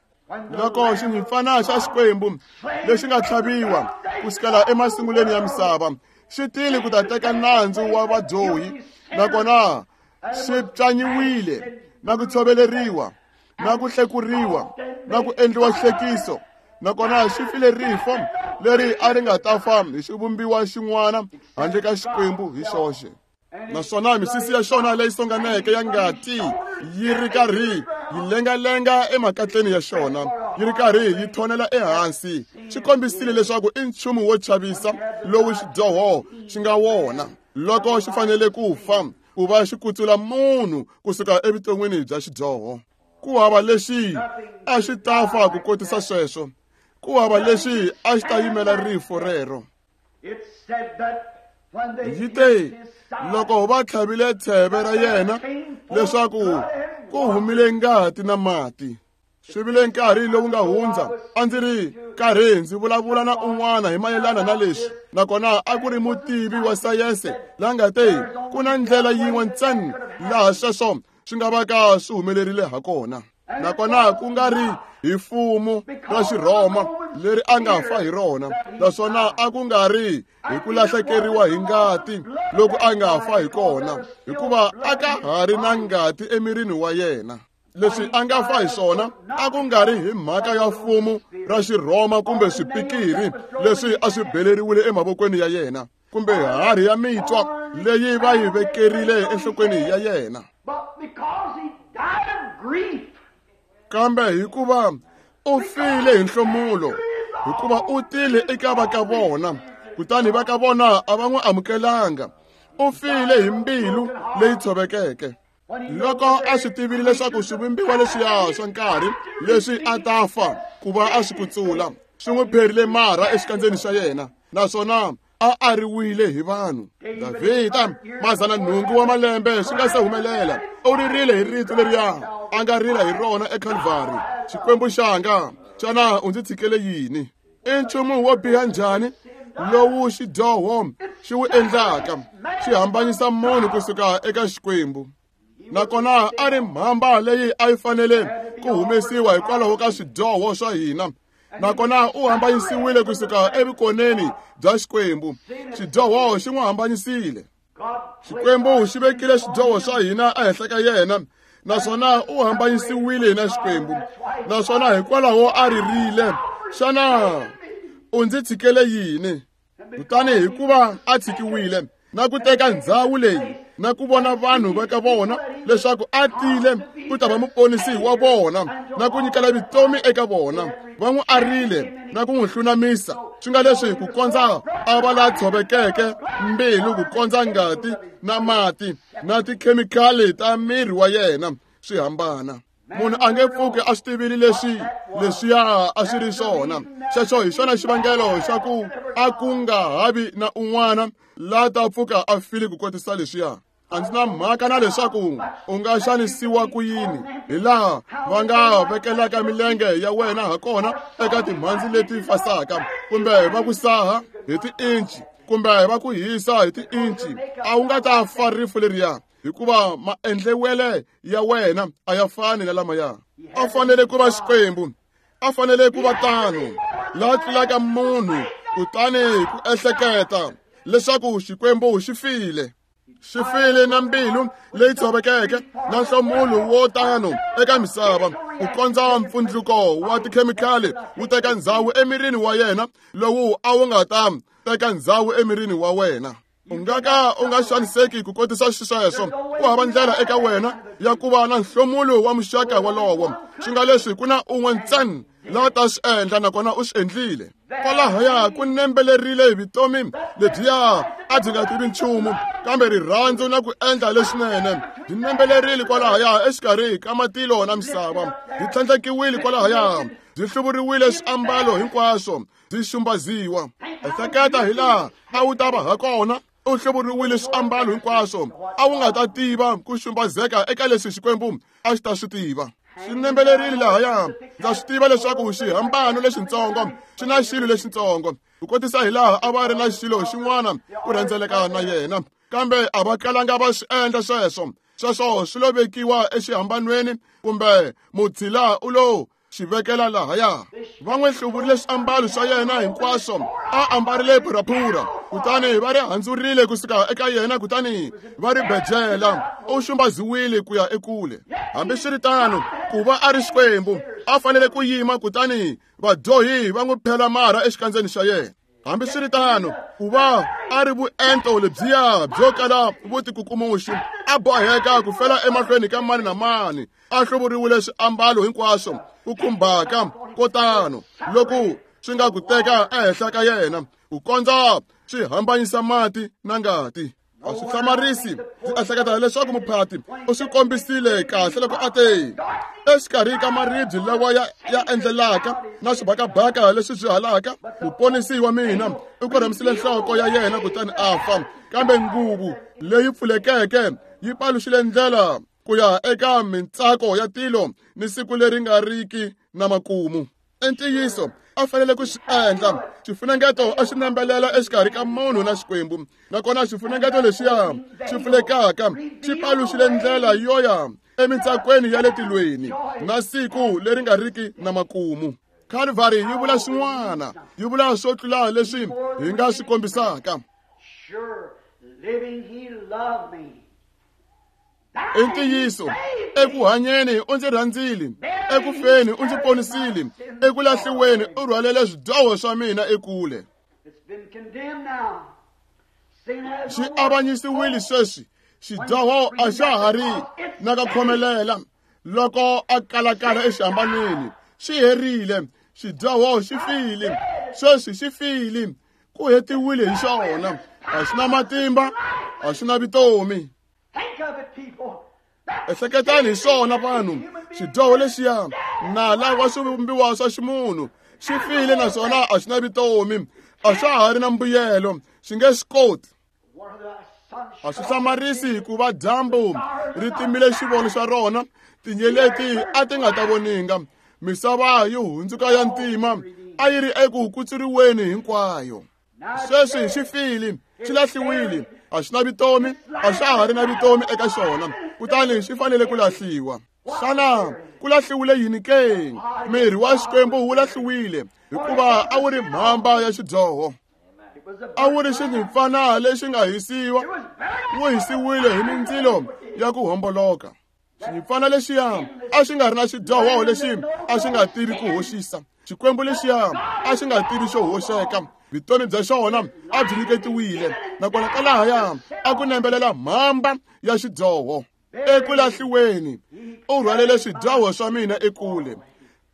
loko xinyimpfana xa Xikwembu lexi nga tlhaviwa ku sukela emasungulweni ya misava xi tile ku ta teka nandzu wa vadyohi, nakona xi pyanyiwile na ku tshoveleriwa na ku hlekuriwa na ku endliwa xihlekiso, nakona xi file rifo leri a ri nga ta fa hi xivumbiwa xin'wana handle ka Xikwembu hi xoxe. Naswona misisi ya xona leyi songaneke ya ngati yi ri karhi yi lengalenga emakatleni ya xona, yi ri karhi yi thonela ehansi, xi kombisile leswaku i nchumu wo chavisa lowu xidyoho xi nga wona loko xi fanele ku fa ku va xi kutsula munhu kusuka evuton'wini bya xidyoho. Ku hava lexi a xi ta fa ku kotisa sweswo, ku hava lexi a xi ta yimela rifo rero. Yi te loko va tlhavile tsheve ra yena leswaku ku humile ngati na mati. Swi vile nkarhi lowu nga hundza a ndzi ri karhi ndzi vulavula na un'wana hi mayelana na leswi, nakona a ku ri mutivi wa sayense la nga te ku na ndlela yin'we ntsena laha sweswo swi nga va ka swi humelerile ha kona, nakona ku nga ri hi fumu ra Xirhoma leri a nga fa hi rona, naswona a ku nga ri hi ku lahlekeriwa hi ngati loko a nga fa hi kona, hikuva a ka ha ri na ngati emirini wa yena. Leswi a nga fa hi swona a ku nga ri hi mhaka ya fumu ra Xirhoma kumbe swipikiri leswi a swi beleriwile emavokweni ya yena, kumbe harhi ya mitwa leyi va yi vekerile enhlokweni ya yena, kambe hikuva u file hi nhlomulo, hikuva u tile eka va ka vona, kutani va ka vona a va n'wi amukelanga. U file hi mbilu leyi tshovekeke. Loko a swi tivile leswaku swivumbiwa leswiya swa nkarhi leswi a ta fa ku va a swi kutsula, swi n'wi pherile marha exikandzeni xa yena, naswona a ariwile hi vanhu. Davhida 800 wa malembe swi nga se humelela u ririle hi rito leriya a nga rila hi rona eKalvari: Xikwembu xanga, xana u ndzi tshikele yini? I nchumu wo biha njhani lowu xidyoho xi wu endlaka, xi hambanyisa munhu kusuka eka Xikwembu. Nakona a ri mhamba leyi a yi fanele ku humesiwa hikwalaho ka swidyoho swa hina, nakona u hambanyisiwile kusuka evukoneni bya Xikwembu. Xidyoho xi n'wi hambanyisile. Xikwembu xi vekile swidyoho swa hina ehenhla ka yena, naswona u hambanyisiwile na Xikwembu, naswona hikwalaho a ririle: Xana u ndzi tshikele yini? Kutani hikuva a tshikiwile na ku teka ndzhawu leyi na ku vona vanhu va ka vona leswaku a tile ku ta va muponisi wa vona na ku nyikela vutomi eka vona, va n'wi arile na ku n'wi hlunamisa, swi nga leswi ku kondza a va la tshovekeke mbilu, ku kondza ngati na mati na tikhemikhali ta miri wa yena swi hambana. Munhu a nge pfuki a swi tivile leswi leswiya a swi ri swona. Xexo hi xona xivangelo xa ku a ku nga havi na un'wana la ta pfuka a file ku kotisa leswiya. A ndzi na mhaka na leswaku u nga xanisiwa ku yini, hi laha va nga vekelaka milenge ya wena ha kona eka timhandzi leti fasaka, kumbe va ku saha hi tiinci, kumbe va ku hisa hi tiinci, a wu nga ta fa rifu leriya, hikuva maendlewele ya wena a ya fani na lamaya. A fanele ku va Xikwembu, a fanele ku va tano la tlulaka munhu, kutani ku ehleketa leswaku Xikwembu xi file. Xi file na mbilu leyi tshovekeke na nhlomulo wo tano eka misava, ku kondza mpfundluko wa tikhemikhali wu teka ndzhawu emirini wa yena lowu a wu nga ta teka ndzhawu emirini wa wena. U nga ka u nga xaniseki ku kotisa xisweswo. Ku hava ndlela eka wena ya ku va na nhlomulo wa muxaka wolowo, swi nga leswi ku na un'we ntsena la ta swi endla, nakona u swi endlile. Kwalahaya ku nembelerile vutomi lebyiya a byi nga tivi nchumu kambe rirhandzu na ku endla leswinene. Byi nembelerile kwalahaya exikarhi ka matilo na misava, byi tlhandlekiwile kwalahaya, byi hluvuriwile swiambalo hinkwaswo, byi xumbaziwa. Ehleketa hi laha a wu ta va ha kona u hluvuriwile swiambalo hinkwaswo, a wu nga ta tiva ku xumbazeka eka leswi Xikwembu a xi ta swi tiva. Swi nembelerile lahaya. Ndza swi tiva leswaku xihambano lexitsongo xi na xilo lexitsongo, ku kotisa hi laha a va ri na xilo xin'wana ku rhendzeleka na yena, kambe a va kalanga va swi endla sweswo. Sweswo swi lo vekiwa exihambanweni, kumbe mutshila u lo xi vekela lahaya. Va n'wi hluvurile swiambalo swa yena hinkwaswo, a ambarile phuraphura, kutani va ri handzurile kusuka eka yena, kutani va ri bejela. U xumbaziwile ku ya ekule. Hambiswiritano, ku va a ri Xikwembu, A fanele ku yima kutani vadyohi va n'wi phela marha exikandzeni xa yena. Hambiswiritano, ku va a ri vuento lebyiya byo kala vutikukumuxi, a boheka ku fela emahlweni ka mani na mani, a hluvuriwile swiambalo hinkwaswo ku khumbaka ko tano loku swi nga ku teka ehenhla ka yena ku kondza swi hambanyisa mati na ngati. A swi hlamarisi ndzi ehleketa leswaku muphati u swi kombisile kahle loko a te exikarhi ka maribye lawa ya endlelaka na swibakabaka leswi swi halaka, muponisi wa mina u korhamisile nhloko ya yena kutani a fa, kambe nguvu leyi pfulekeke yi paluxile ndlela ku ya eka mintsako ya tilo ni siku leri nga riki na makumu. Ntiyiso a fanele ku swi endla. Xifunengeto a xi nambelela exikarhi ka munhu na Xikwembu, nakona xifunengeto lexiya xi pfulekaka xi paluxile ndlela yo ya emintsakweni ya le tilweni na siku leri nga riki na makumu. Calvary yi vula swin'wana, yi vula swo tlula leswi hi nga swi kombisaka. I ntiyiso, eku hanyeni u ndzi rhandzile, eku feni u ndzi ponisile, eku lahliweni u rhwalele swidyoho swa mina ekule. Xi avanyisiwile sweswi, xidyoho a xa ha ri na ka khomelela loko a kalakala exihambanweni. Xi herile, xidyoho xi file, sweswi xi file, ku hetiwile hi xona. A xi na matimba, a xi na vutomi. Ehleketani hi swona vanhu, xidyoho lexiya nala wa swivumbiwa swa ximunhu xi file naswona a xi na vutomi, a xa ha ri na mbuyelo, xi nge swi koti. A swi hlamarisi hikuva dyambu ri timile xivono xa rona, tinyeleti a ti nga ta voninga, misava yi hundzuka ya ntima, a yi ri eku kutsuriweni hinkwayo. Sweswi xi file, xi lahliwile, a xi na vutomi, a xa ha ri na vutomi eka xona, kutani xi fanele ku lahliwa. Xana ku lahliwile yini ke? Miri wa Xikwembu wu lahliwile hikuva a wu ri mhamba ya xidyoho, a wu ri xinyimpfana lexi nga hisiwa, wu hisiwile hi mindzilo ya ku homboloka. Xinyimpfana lexiya a xi nga ri na xidyoho lexi a xi nga tivi ku hoxisa. Xikwembu lexiya a xi nga tivi xo hoxeka, vutomi bya xona a byi nyiketiwile, nakona kwalahaya a ku nembelela mhamba ya xidyoho. Eku lahliweni u rhwalele swidyoho swa mina ekule,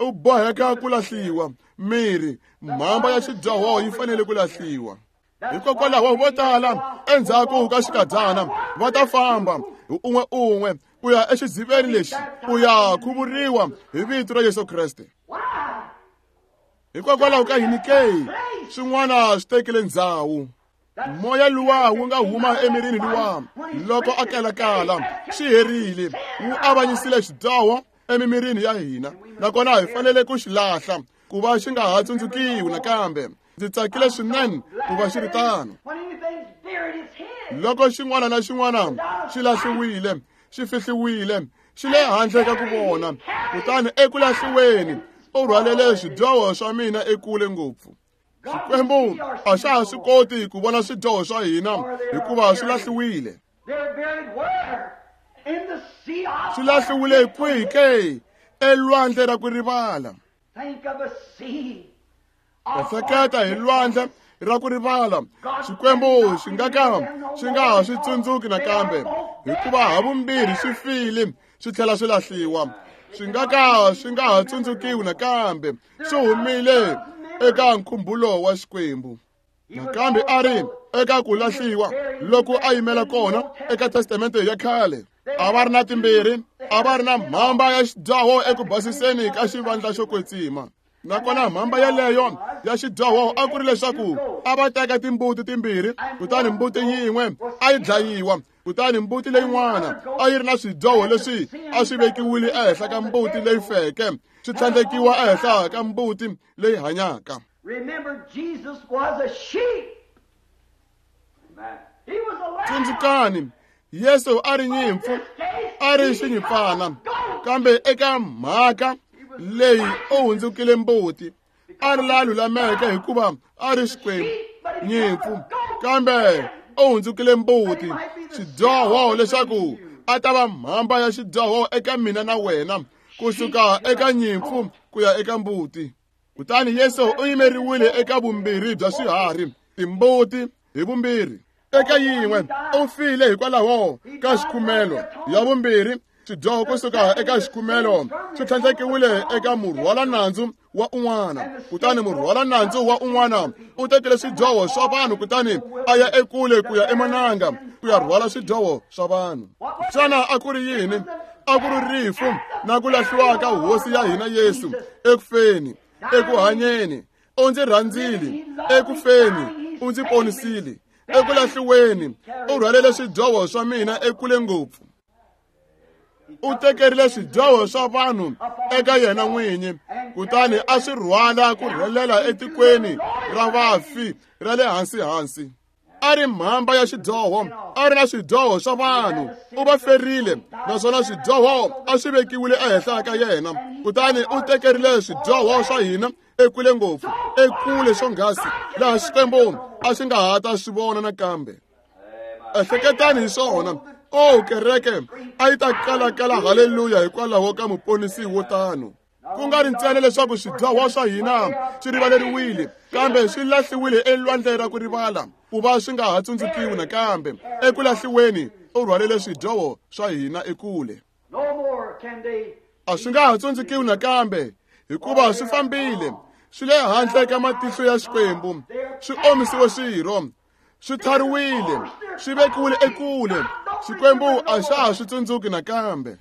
u boheka ku lahliwa. Miri mhamba ya xidyoho yi fanele ku lahliwa. Hikokwalaho vo tala endzhaku ka xikadyana va ta famba hi un'we un'we ku ya exiziveni lexi ku ya khuvuriwa hi vito ra Yesu Kreste. Hikokwalaho ka yini ke? Swin'wana swi tekile ndzhawu. Moya luwa wu nga huma emirini luwa loko a kalakala, xi herile, wu avanyisile xidyoho emimirini ya hina, nakona hi fanele ku xi lahla ku va xi nga ha tsundzukiwi nakambe. Ndzi tsakile swinene ku va xi ri tano. Loko xin'wana na xin'wana xi lahliwile, xi fihliwile, xi le handle ka ku vona, kutani eku lahliweni u rhwalele swidyoho swa mina ekule ngopfu. Xikwembu a xa ha swi koti ku vona swidyoho swa hina hikuva swi lahliwile. Swi lahliwile kwihi ke? Elwandle ra ku rivala. Ehleketa hi lwandle ra ku rivala. Xikwembu xi nga ka xi nga ha swi tsundzuki nakambe, hikuva havumbirhi swi file swi tlhela swi lahliwa. Swi nga ka swi nga ha tsundzukiwi nakambe, swi humile eka nkhumbulo wa Xikwembu. Nakambe a ri eka ku lahliwa loko a yimela kona eka testamente ya khale. A va ri na timbirhi, a va ri na mhamba ya xidyoho eku basiseni ka xivandla xo kwetsima. Nakona mhamba yeleyo ya xidyoho a ku ri leswaku a va teka timbuti timbirhi, kutani mbuti yin'we a yi dlayiwa, kutani mbuti leyin'wana a yi ri na swidyoho leswi a swi vekiwile ehenhla ka mbuti leyi feke, swi tlhandlekiwa ehenhla ka mbuti leyi hanyaka. Tsundzukani, Yesu a ri nyimpfu, a ri xinyimpfana, kambe eka mhaka leyi u hundzukile mbuti. A ri la lulameke hikuva a ri Xikwembu, nyimpfu, kambe u hundzukile mbuti, xidyoho leswaku a ta va mhamba ya xidyoho eka mina na wena, Kusuka eka nyimpfu ku ya eka mbuti. Kutani Yesu u yimeriwile eka vumbirhi bya swiharhi, timbuti hi vumbirhi. Eka yin'we u file hikwalaho ka xikhumelo, ya vumbirhi xidyoho kusuka eka xikhumelo swi tlhandlekiwile eka murhwala nandzu wa un'wana. Kutani murhwala nandzu wa un'wana u tekile swidyoho swa vanhu kutani a ya ekule ku ya emananga ku ya rhwala swidyoho swa vanhu. Xana a ku ri yini? A ku ri rifu na ku lahliwa ka hosi ya hina Yesu ekufeni, ekuhanyeni u ndzi rhandzile, ekufeni u ndzi ponisile, eku lahliweni u rhwalele swidyoho swa mina ekule ngopfu. U tekerile swidyoho swa vanhu eka yena n'winyi, kutani a swi rhwala ku rhelela etikweni ra vafi ra le hansi-hansi. A ri mhamba ya xidyoho, a ri na swidyoho swa vanhu, u va ferile, naswona swidyoho a swi vekiwile ehenhla ka yena. Kutani u tekerile swidyoho swa hina ekule ngopfu, ekule swonghasi, laha Xikwembu a xi nga ha ta swi vona nakambe. Ehleketani hi swona. O kereke a yi ta kalakala haleluya hikwalaho ka muponisi wo tano. Ku nga ri ntsena leswaku swidyoho swa hina swi rivaleriwile, kambe swi lahliwile elwandle ra ku rivala, ku va swi nga ha tsundzukiwi nakambe. Eku lahliweni u rhwalele swidyoho swa hina ekule. A swi nga ha tsundzukiwi nakambe, hikuva swi fambile, swi le handle ka matihlo ya Xikwembu, swi omisiwe swirho, swi thariwile, swi vekiwile ekule. Xikwembu a xa ha swi tsundzuki nakambe.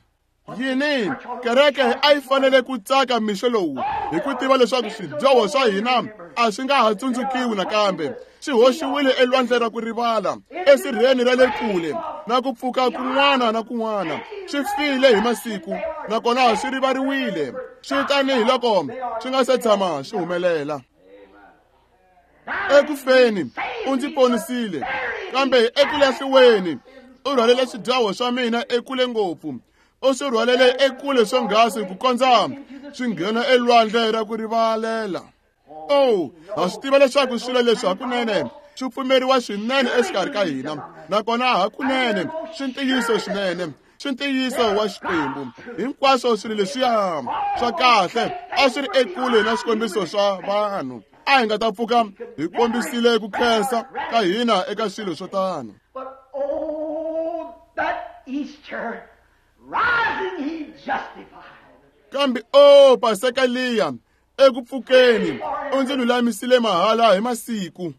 Yini? Kereke a yi fanele ku tsaka mixo lowu hi ku tiva leswaku swidyoho swa hina a swi nga ha tsundzukiwi nakambe, swi hoxiwile elwandle ra ku rivala, esirheni ra le kule, na ku pfuka kun'wana na kun'wana. Swi file hi masiku, nakona swi rivariwile, swi tanihi loko swi nga se tshama swi humelela. Ekufeni u ndzi ponisile, kambe eku lahliweni u rhwalele swidyoho swa mina ekule ngopfu. U swi rhwalele ekule swonghasi ku kondza swi nghena elwandle ra ku rivalela. Oh, ha swi tiva leswaku swilo leswi hakunene swi pfumeriwa swinene exikarhi ka hina, nakona hakunene swi ntiyiso swinene, swi ntiyiso wa Xikwembu. Hinkwaswo swilo leswiya swa kahle a swi ri ekule na swikombiso swa vanhu. A hi nga ta pfuka hi kombisile ku khensa ka hina eka swilo swo tano. Kambe o Paseka liya eku pfukeni u ndzi lulamisile mahala hi masiku.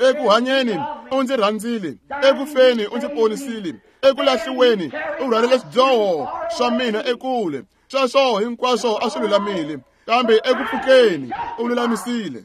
Eku hanyeni u ndzi rhandzile, eku feni u ndzi ponisile, eku lahliweni u rhwalele swidyoho swa mina ekule. Sweswo hinkwaswo a swi lulamile, kambe eku pfukeni u lulamisile.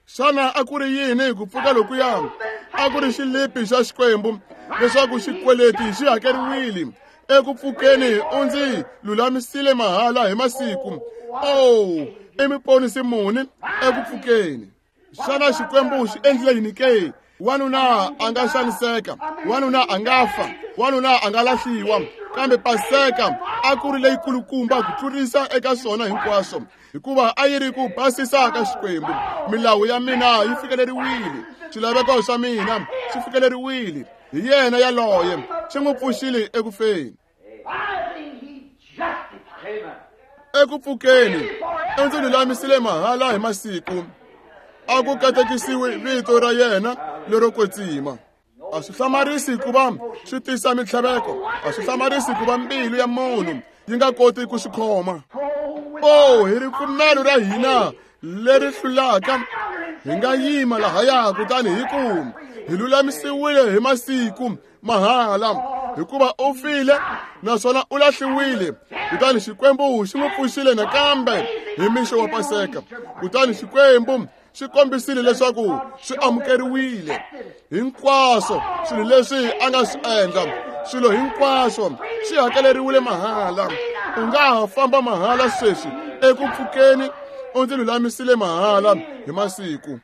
Xana a ku ri yini ku pfuka lokuya? A ku ri xilipi xa Xikwembu leswaku xikweleti xi hakeriwile. Eku pfukeni u ndzi lulamisile mahala hi masiku. Oh, i muponisi muni eku pfukeni? Xana Xikwembu xi endlile yini ke? Wanuna a nga xaniseka, wanuna a nga fa, wanuna a nga lahliwa, kambe Paseka a ku ri leyikulukumba ku tlurisa eka swona hinkwaswo, hikuva a yi ri ku basisa ka Xikwembu. Milawu ya mina yi fikeleriwile, swilaveko swa mina swi fikeleriwile hi yena yaloye, xi n'wi pfuxile eku feni. Eku pfukeni u ndzi lulamisile mahala hi masiku. A ku katekisiwi vito ra yena lero kwetsima. A swi hlamarisi ku va swi tisa mintlhaveko, a swi hlamarisi ku va mbilu ya munhu yi nga koti ku swi khoma. Oh, hi ripfumelo ra hina leri hlulaka hi nga yima lahaya kutani hi ku hi lulamisiwile hi masiku mahala, hikuva u file naswona u lahliwile, kutani Xikwembu xi n'wi pfuxile nakambe hi mixo wa Paseka. Kutani Xikwembu xi kombisile leswaku swi amukeriwile hinkwaswo swilo leswi a nga swi endla. Swilo hinkwaswo swi hakeleriwile mahala. U nga ha famba mahala sweswi eku pfukeni u ndzi lulamisile mahala hi masiku.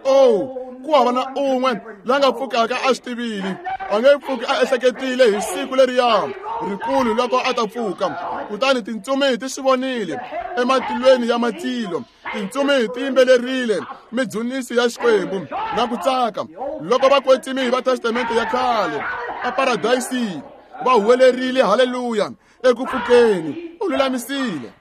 Oh, ku hava na un'we la nga pfukaka a swi tivile, a nge pfuki a ehleketile hi siku leriya rikulu loko a ta pfuka. Kutani tintsumi ti swi vonile ematilweni ya matilo, tintsumi ti yimbelerile midzunisi ya Xikwembu na ku tsaka loko vakwetsimi va Testamente ya khale eparadayisini. Va huwelerile haleluya eku pfukeni. U lulamisile.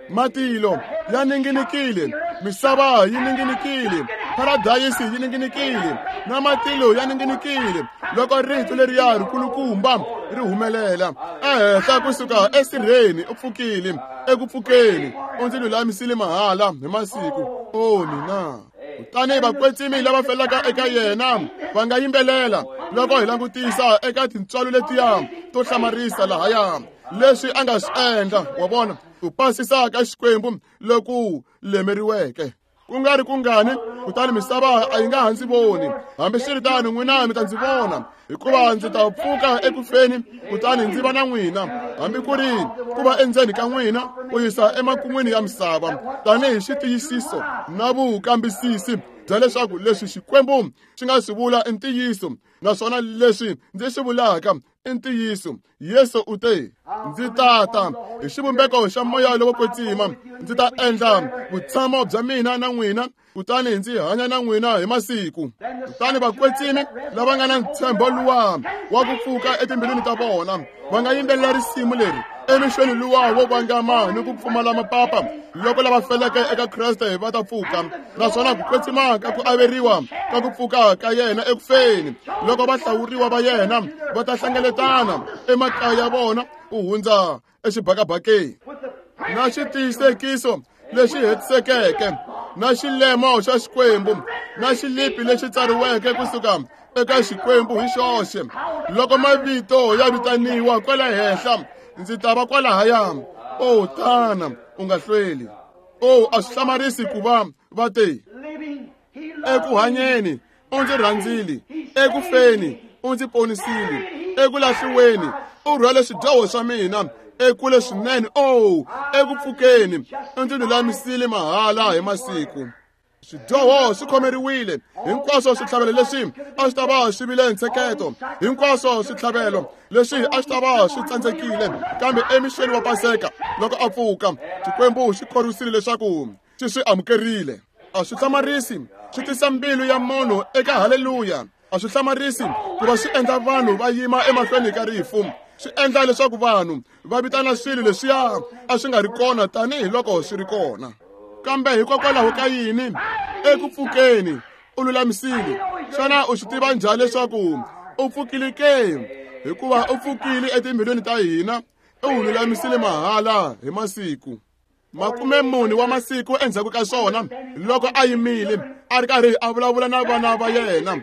Matilo ya ninginikile, misava yi ninginikile, paradayisi yi ninginikile, na matilo ya ninginikile loko rito leriya rikulukumba ri humelela ehenhla kusuka esirheni. U pfukile eku pfukeni, u ndzi lulamisile mahala hi masiku. O mina! Kutani vakwetsimi lava felaka eka yena va nga yimbelela loko hi langutisa eka tintswalo letiya to hlamarisa lahaya leswi a nga swi endla. Wa vona ku pasisa ka Xikwembu loku lemeriweke ku nga ri kungani. Kutani misava a yi nga ha ndzi voni, hambiswiritano n'wina mi ta ndzi vona, hikuva ndzi ta pfuka ekufeni kutani ndzi va na n'wina, hambi ku ri ku va endzeni ka n'wina ku yisa emakun'wini ya misava, tanihi xitiyisiso na vukambisisi bya leswaku leswi Xikwembu xi nga swi vula i ntiyiso, naswona leswi ndzi swi vulaka i ntiyiso. Yesu u te, ndzi tata hi xivumbeko xa moya lowo kwetsima, ndzi ta endla vutshamo bya mina na n'wina, kutani ndzi hanya na n'wina hi masiku. Kutani vakwetsimi lava nga na ntshembo luwa wa ku pfuka etimbilwini ta vona va nga yimbelela risimu leri emixweni luwa wo vangama ni ku pfumala mapapa loko lava feleke eka Kreste va ta pfuka, naswona ku kwetsima ka ku averiwa ka ku pfuka ka yena ekufeni loko va hlawuriwa va yena va ta hlengeletana emakaya ya vona ku hundza exibakabakeni na xitiyisekiso lexi hetisekeke na xilemo xa Xikwembu na xilipi lexi tsariweke kusuka eka Xikwembu hi xoxe. Loko mavito ya vitaniwa kwala henhla, ndzi ta va kwalahaya. O tana, u nga hlweli. O a swi hlamarisi ku va va te eku hanyeni u ndzi rhandzile, eku feni u ndzi ponisile, eku lahliweni u rhwale swidyoho swa mina ekule swinene. O eku pfukeni u ndzi lulamisile mahala hi masiku. Swidyoho swi khomeriwile hinkwaswo, switlhavelo leswi a swi ta va swi vile ntsheketo, hinkwaswo switlhavelo leswi a swi ta va swi tsandzekile. Kambe emixeni wa Paseka loko a pfuka, Xikwembu xi khorwisile leswaku xi swi amukerile. A swi hlamarisi swi tisa mbilu ya munhu eka haleluya. A swi hlamarisi ku va swi endla vanhu va yima emahlweni ka rifu, swi endla leswaku vanhu va vitana swilo leswiya a swi nga ri kona tanihiloko swi ri kona. Kambe hikokwalaho ka yini eku pfukeni u lulamisile? Xana u swi tiva njhani leswaku u pfukile ke? Hikuva u pfukile etimbilwini ta hina, u lulamisile mahala hi masiku. 40 wa masiku endzhaku ka swona, loko a yimile a ri karhi a vulavula na vana va yena,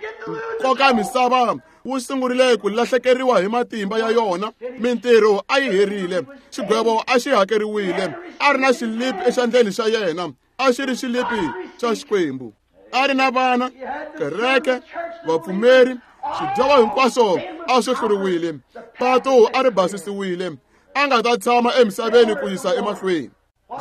nkoka misava wu sungurile ku lahlekeriwa hi matimba ya yona. Mintirho a yi herile, xigwevo a xi hakeriwile. A ri na xilipi exandleni xa yena, a xi ri xilipi xa Xikwembu. A ri na vana, kereke, vapfumeri, swidyoho hinkwaswo a swi hluriwile, patu a ri basisiwile, a nga ta tshama emisaveni ku yisa emahlweni.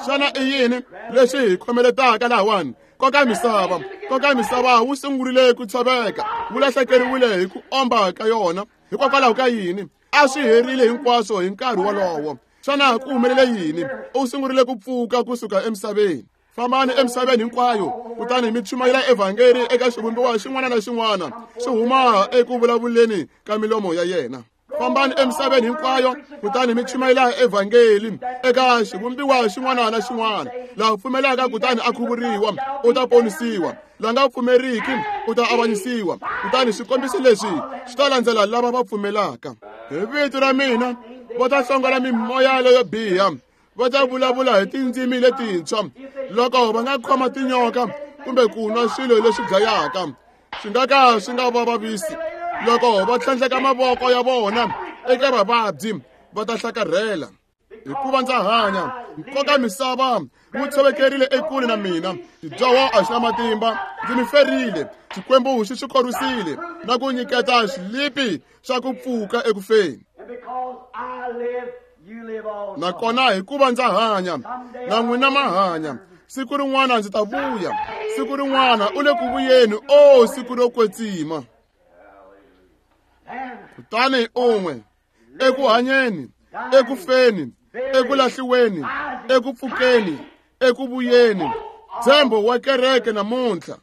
Xana i yini lexi hi khomeletaka lahawani? Nkoka misava wu sungurile ku tshoveka, wu lahlekeriwile hi ku omba ka yona. Hikokwalaho ka yini? A swi herile hinkwaswo hi nkarhi wolowo. Xana ku humelele yini? U sungurile ku pfuka kusuka emisaveni. Fambani emisaveni hinkwayo, kutani mi chumayela evhangeli eka xivumbiwa xin'wana na xin'wana swi huma eku vulavuleni ka milomo ya yena. Fambani emisaveni hinkwayo, kutani mi chumayela evhangeli eka xivumbiwa xin'wana na xin'wana. La pfumelaka kutani a khuvuriwa u ta ponisiwa, la nga pfumeriki u ta avanyisiwa. Kutani swikombiso leswi swi ta landzela lava va pfumelaka. Hi vito ra mina va ta hlongola mimoya leyo biha, va ta vulavula hi tindzimi letintshwa. Loko va nga khoma tinyoka kumbe ku nwa swilo leswi dlayaka, swi nga ka swi nga va vavisi. Loko va tlhandleka mavoko ya vona eka vavabyi, va ta hlakarhela. Hikuva ndza hanya, nkoka misava wu tshovekerile ekule na mina, xidyoho a xi na matimba, ndzi mi ferile. Xikwembu xi swi khorwisile na ku nyiketa xilipi xa ku pfuka ekufeni. Nakona hikuva ndza hanya, na n'wina ma hanya. Siku rin'wana ndzi ta vuya, siku rin'wana u le ku vuyeni. O siku ro kwetsima! Kutani un'we eku hanyeni, eku feni, eku lahliweni, eku pfukeni, eku vuyeni, ntshembo wa kereke namuntlha.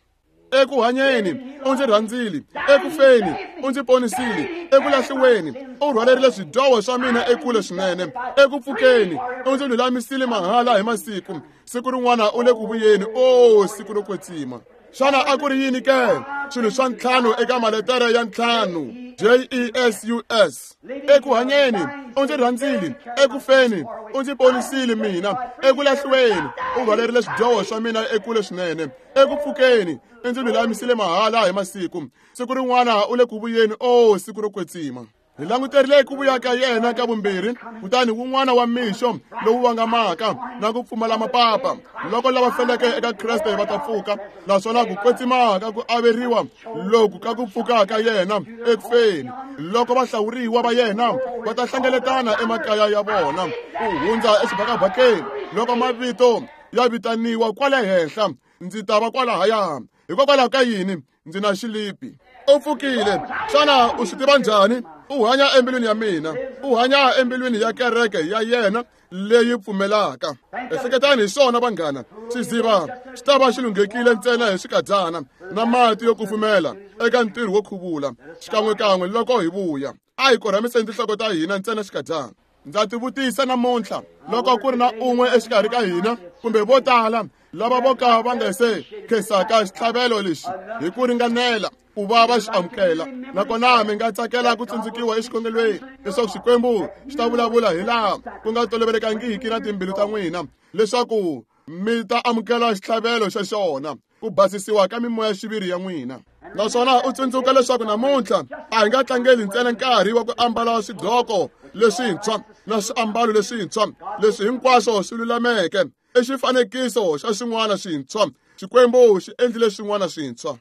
Eku hanyeni u ndzi rhandzile, eku feni u ndzi ponisile, eku lahliweni u rhwalerile swidyoho swa mina ekule swinene, eku pfukeni u ndzi lulamisile mahala hi masiku. Siku rin'wana u le ku vuyeni, o siku ro kwetsima. Xana a ku ri yini ke? Swilo swa ntlhanu eka maletere ya ntlhanu, Jesus. Eku hanyeni u ndzi rhandzile, eku feni u ndzi ponisile mina, eku lahliweni u rhwalerile swidyoho swa mina ekule swinene, eku pfukeni u ndzi lulamisile mahala hi masiku. Siku rin'wana u le ku vuyeni, o siku ro kwetsima. Hi languterile ku vuya ka yena ka vumbirhi, kutani wun'wana wa mixo lowu vangamaka na ku pfumala mapapa, loko lava feleke eka Kreste va ta pfuka, naswona ku kwetsimaka ku averiwa loku ka ku pfuka ka yena eku feni, loko vahlawuriwa va yena va ta hlengeletana emakaya ya vona ku hundza exibakabakeni, loko mavito ya vitaniwa kwale henhla, ndzi ta va kwalahaya. Hikokwalaho ka yini? Ndzi na xilipi. U pfukile. Xana u swi tiva njhani? U hanya embilwini ya mina, u hanya embilwini ya kereke ya yena leyi pfumelaka. Ehleketani hi swona vanghana, xiziva xi ta va xi lunghekile ntsena hi swikadyana na mati yo kufumela eka ntirho wo khuvula xikan'wekan'we loko hi vuya. A hi korhamiseni tinhloko ta hina ntsena xikadyana. Ndza tivutisa namuntlha loko ku ri na un'we exikarhi ka hina kumbe vo tala lava vo ka va nga se khensaka xitlhavelo lexi hi ku ringanela ku va va xi amukela, nakona mi nga tsakela ku tsundzukiwa exikhongelweni leswaku Xikwembu xi ta vulavula hi laha ku nga tolovelekangiki na timbilu ta n'wina, leswaku mi ta amukela xitlhavelo xa xona, ku basisiwa ka mimoya xiviri ya n'wina. Naswona u tsundzuka leswaku namuntlha a hi nga tlangeli ntsena nkarhi wa ku ambala swidloko leswintshwa na swiambalo leswintshwa, leswi hinkwaswo swi lulameke i xifanekiso xa swin'wana swintshwa. Xikwembu xi endlile swin'wana swintshwa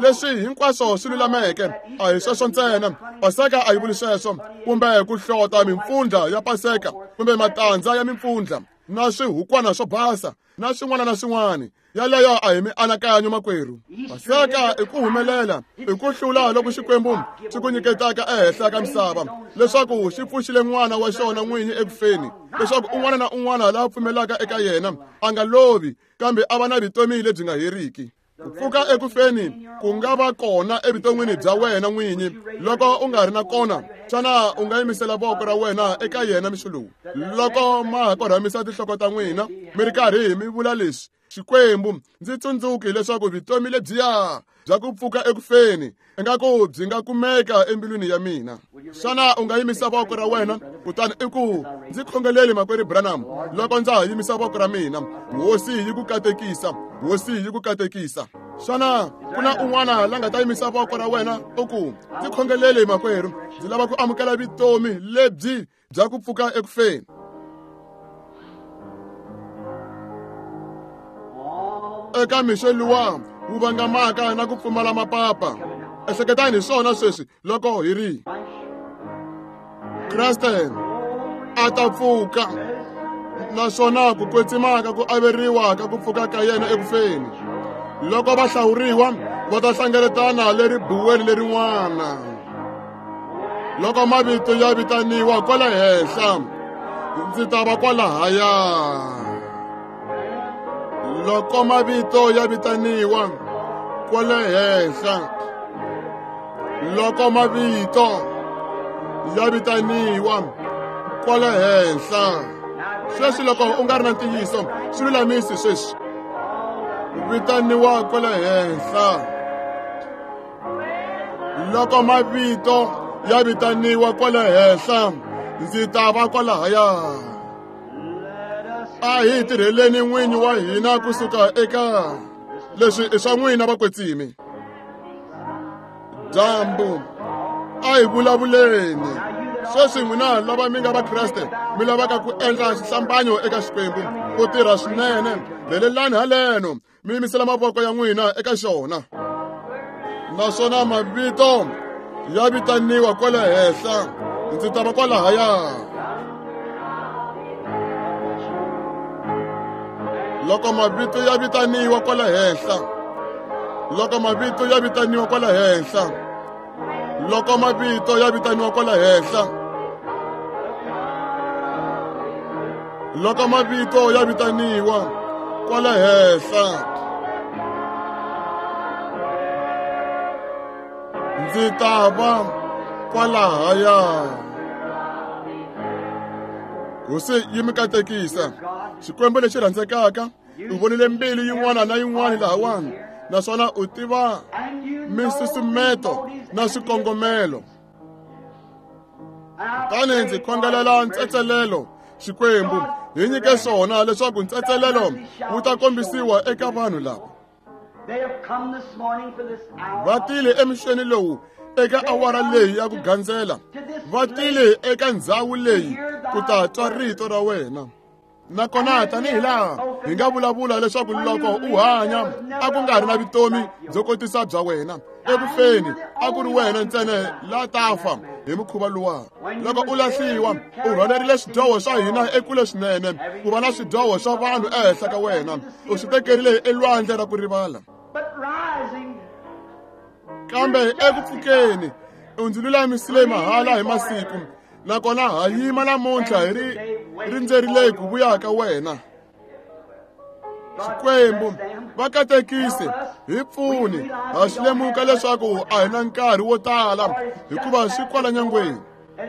leswi hinkwaswo swi lulameke. A hi sweswo ntsena, Paseka a yi vuli sweswo, kumbe ku hlota mimpfundla ya Paseka kumbe matandza ya mimpfundla na swihukwana swo basa na swin'wana na swin'wana. Yaleyo a hi mianakanyo makwerhu. Paseka i ku humelela, i ku hlula loko Xikwembu xi ku nyiketaka ehenhla ka misava, leswaku xi pfuxile n'wana wa xona n'winyi eku feni, leswaku un'wana na un'wana la pfumelaka eka yena a nga lovi, kambe a va na vutomi lebyi nga heriki. Ku pfuka eku feni ku nga va kona evuton'wini bya wena n'winyi. Loko u nga ri na kona, xana u nga yimisela voko ra wena eka yena mixo lowu? Loko ma ha korhamisa tinhloko ta n'wina mi ri karhi mi vula leswi: Xikwembu, ndzi tsundzuki leswaku vutomi lebyiya bya ku pfuka eku feni ingaku byi nga kumeka embilwini ya mina. Xana u nga yimisa voko ra wena kutani i ku: ndzi khongeleli makwerhu Branham loko ndza ha yimisa voko ra mina. Hosi yi ku katekisa, Hosi yi ku katekisa. Xana ku na un'wana la nga ta yimisa voko ra wena u ku: ndzi khongeleli makwerhu, ndzi lava ku amukela vutomi lebyi bya ku pfuka eku feni? Eka mixo luwa wu vangamaka na ku pfumala mapapa, ehleketani hi swona sweswi loko hi ri Kreste a ta pfuka, naswona ku kwetsimaka ku averiwa ka ku pfuka ka yena eku feni, loko va hlawuriwa va ta hlengeletana le ribuweni lerin'wana. Loko mavito ya vitaniwa kwala henhla, ndzi ta va kwalahaya. Loko mavito ya vitaniwa kwale henhla, loko mavito ya vitaniwa kwale henhla. Sweswi loko u nga ri na ntiyiso, swi lulamisi sweswi. Vitaniwa kwale henhla. Loko mavito ya vitaniwa kwale henhla, ndzi ta va kwalahaya. A hi tirheleni n'winyi wa hina kusuka eka leswi i swa n'wina vakwetsimi. Dyambu a hi vulavuleni sweswi. N'wina lava mi nga Vakreste mi lavaka ku endla xihlambanyo eka Xikwembu ku tirha swinene, rhelelani haleno mi yimisela mavoko ya n'wina eka xona. Naswona mavito ya vitaniwa kwale henhla, ndzi ta va kwalahaya. Loko mavito ya vitaniwa kwale henhla, loko mavito ya vitaniwa kwale henhla, loko mavito ya vitaniwa kwale henhla, loko mavito ya vitaniwa kwale henhla. Ndzi ta va kwalahaya. Hosi yi mi katekisa. Xikwembu lexi rhandzekaka, u vonile mbilu yin'wana na yin'wana lahawani, naswona u tiva minsusumeto na swikongomelo. Kutani ndzi khongelela ntsetselelo, Xikwembu, hi nyike swona leswaku ntsetselelo wu ta kombisiwa eka vanhu lava. Va tile emixeni lowu eka awara leyi ya ku gandzela, va tile eka ndzhawu leyi ku ta twa rito ra wena. Nakona tanihi laha hi nga vulavula leswaku loko u hanya a ku nga ri na vutomi byo kotisa bya wena, eku feni a ku ri wena ntsena la ta fa hi mukhuva luwa. Loko u lahliwa, u rhwalerile swidyoho swa hina ekule swinene, ku va na swidyoho swa vanhu ehenhla ka wena, u swi tekerile elwandle ra ku rivala. Kambe eku pfukeni u ndzi lulamisile mahala hi masiku, nakona ha yima namuntlha hi ri rindzerile ku vuya ka wena. Xikwembu, va katekise, hi pfuni, ha swi lemuka leswaku a hi na nkarhi wo tala, hikuva swi kwala nyangweni.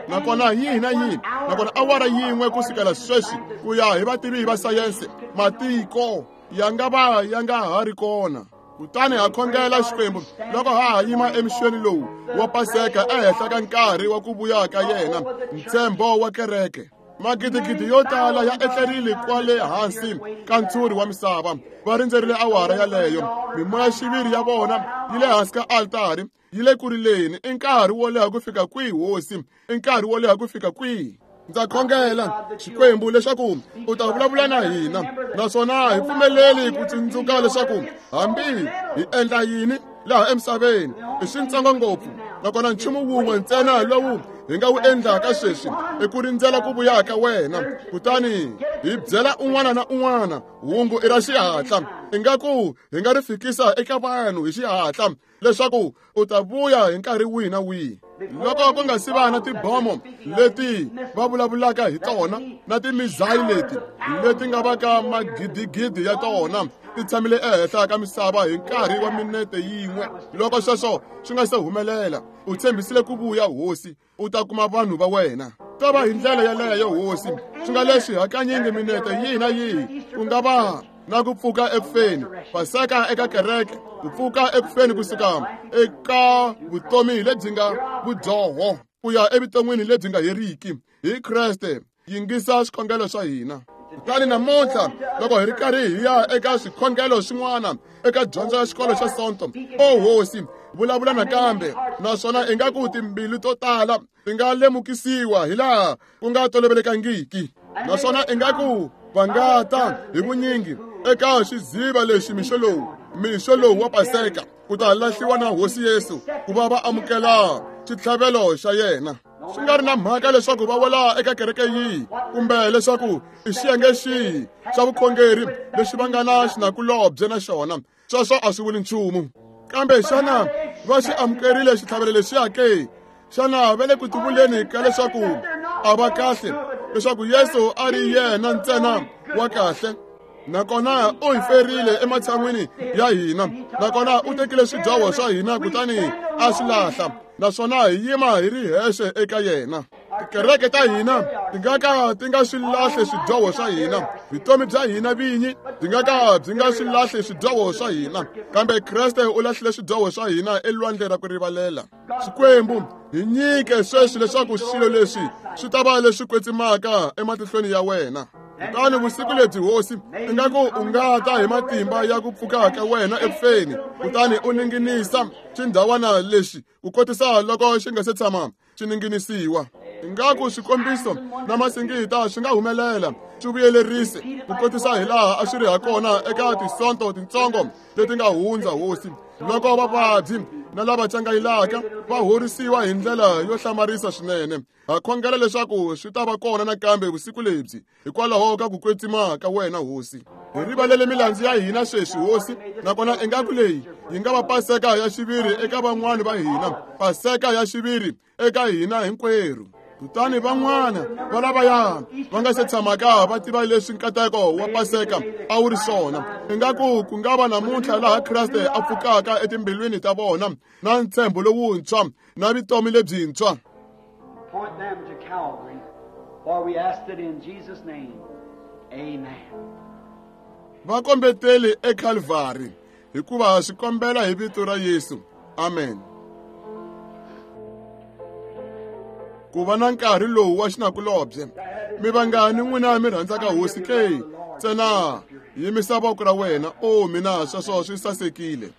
Nakona yihi na yihi, nakona awara yin'we ku sukela sweswi ku ya hi vativi va sayense, matiko ya nga va ya nga ha ri kona. Kutani ha khongela Xikwembu loko ha ha yima emixweni lowu wa Paseka ehenhla ka nkarhi wa ku vuya ka yena, ntshembo wa kereke. Magidigidi yo tala ya etlerile kwale hansi ka ntshuri wa misava, va rindzerile awara yaleyo. Mimoya-xiviri ya vona yi le hansi ka altari, yi le ku rileni. I nkarhi wo leha ku fika kwihi, Hosi? I nkarhi wo leha ku fika kwihi? Ndza khongela, Xikwembu, leswaku u ta vulavula na hina, naswona hi pfumeleli ku tsundzuka leswaku hambi hi endla yini laha emisaveni i swintsongo ngopfu, nakona nchumu wun'we ntsena lowu hi nga wu endlaka sweswi i ku rindzela ku vuya ka wena. Kutani hi byela un'wana na un'wana hungu i ra xihatla, ingaku hi nga ri fikisa eka vanhu hi xihatla leswaku u ta vuya hi nkarhi wihi na wihi. Loko ku nga si va na tibomo leti va vulavulaka hi tona na timizayi leti leti nga va ka magidigidi ya tona ti tshamile ehenhla ka misava hi nkarhi wa minete yin'we, loko sweswo swi nga se humelela, u tshembisile ku vuya, Hosi, u ta kuma vanhu va wena. Ta va hi ndlela yaleyo, Hosi, swi nga leswi hakanyingi minete yihi na yihi ku nga va na ku pfuka ekufeni, Paseka eka kereke, ku pfuka ekufeni kusuka eka vutomi lebyi nga vudyoho ku ya evuton'wini lebyi nga heriki hi Kreste. Yingisa swikhongelo swa hina. Kutani namuntlha loko hi ri karhi hi ya eka swikhongelo swin'wana eka dyondzo ya xikolo xa Sonto, o Hosi, vulavula nakambe, naswona ingaku timbilu to tala ti nga lemukisiwa hi laha ku nga tolovelekangiki, naswona ingaku va nga ta hi vunyingi eka xiziva lexi mixo lowu wa Paseka ku ta lahliwa na Hosi Yesu ku va va amukela xitlhavelo xa yena. Swi nga ri na mhaka leswaku va wela eka kereke yihi kumbe leswaku i xiyenge xihi xa vukhongeri lexi va nga na xinakulobye na xona, sweswo a swi vuli nchumu. Kambe xana va xi amukerile xitlhavelo lexiya ke? Xana va le ku tivuleni ka leswaku a va kahle, leswaku Yesu a ri yena ntsena wa kahle? Nakona u hi ferile ematshan'wini ya hina, nakona u tekile swidyoho swa hina kutani a swi lahla, naswona hi yima hi ri hexe eka yena. Tikereke ta hina ti nga ka ti nga swi lahle swidyoho swa hina, vutomi bya hina vinyi byi nga ka byi nga swi lahle swidyoho swa hina, kambe Kreste u lahlile swidyoho swa hina elwandle ra ku rivalela. Xikwembu, hi nyike sweswi leswaku swilo leswi swi ta va leswi kwetsimaka ematihlweni ya wena. Kutani vusiku lebyi, Hosi, ingaku u nga ta hi matimba ya ku pfuka ka wena ekufeni, kutani u ninginisa xindhawana lexi ku kotisa loko xi nga se tshama xi ninginisiwa. Ingaku swikombiso na masingita swi nga humelela, swi vuyelerise ku kotisa hi laha a swi ri ha kona eka tisonto tintsongo leti nga hundza, Hosi, loko vavabyi na lava cangayilaka va horisiwa hi ndlela yo hlamarisa swinene. Ha khongela leswaku swi ta va kona nakambe vusiku lebyi hikwalaho ka ku kwetsima ka wena, Hosi. Hi rivalele milandzu ya hina sweswi, Hosi, nakona ingaku leyi yi nga va Paseka ya xiviri eka van'wani va hina, Paseka ya xiviri eka hina hinkwerhu. Kutani van'wana va lavaya va nga se tshamaka va tiva leswi nkateko wa Paseka a wu ri swona. Ingaku ku nga va namuntlha laha Kreste a pfukaka etimbilwini ta vona na ntshembo lowuntshwa na vutomi lebyintshwa. Point them to Calvary, for we asked it in Jesus' name. Amen. Va kombeteli eCalvary, hikuva swi kombela hi vito ra Yesu. Amen. Ku va na nkarhi lowu wa xinakulobye, mi vangani n'wina mi rhandzaka Hosi ke? Ntsena yimisa voko ra wena. O mina, sweswo swi sasekile.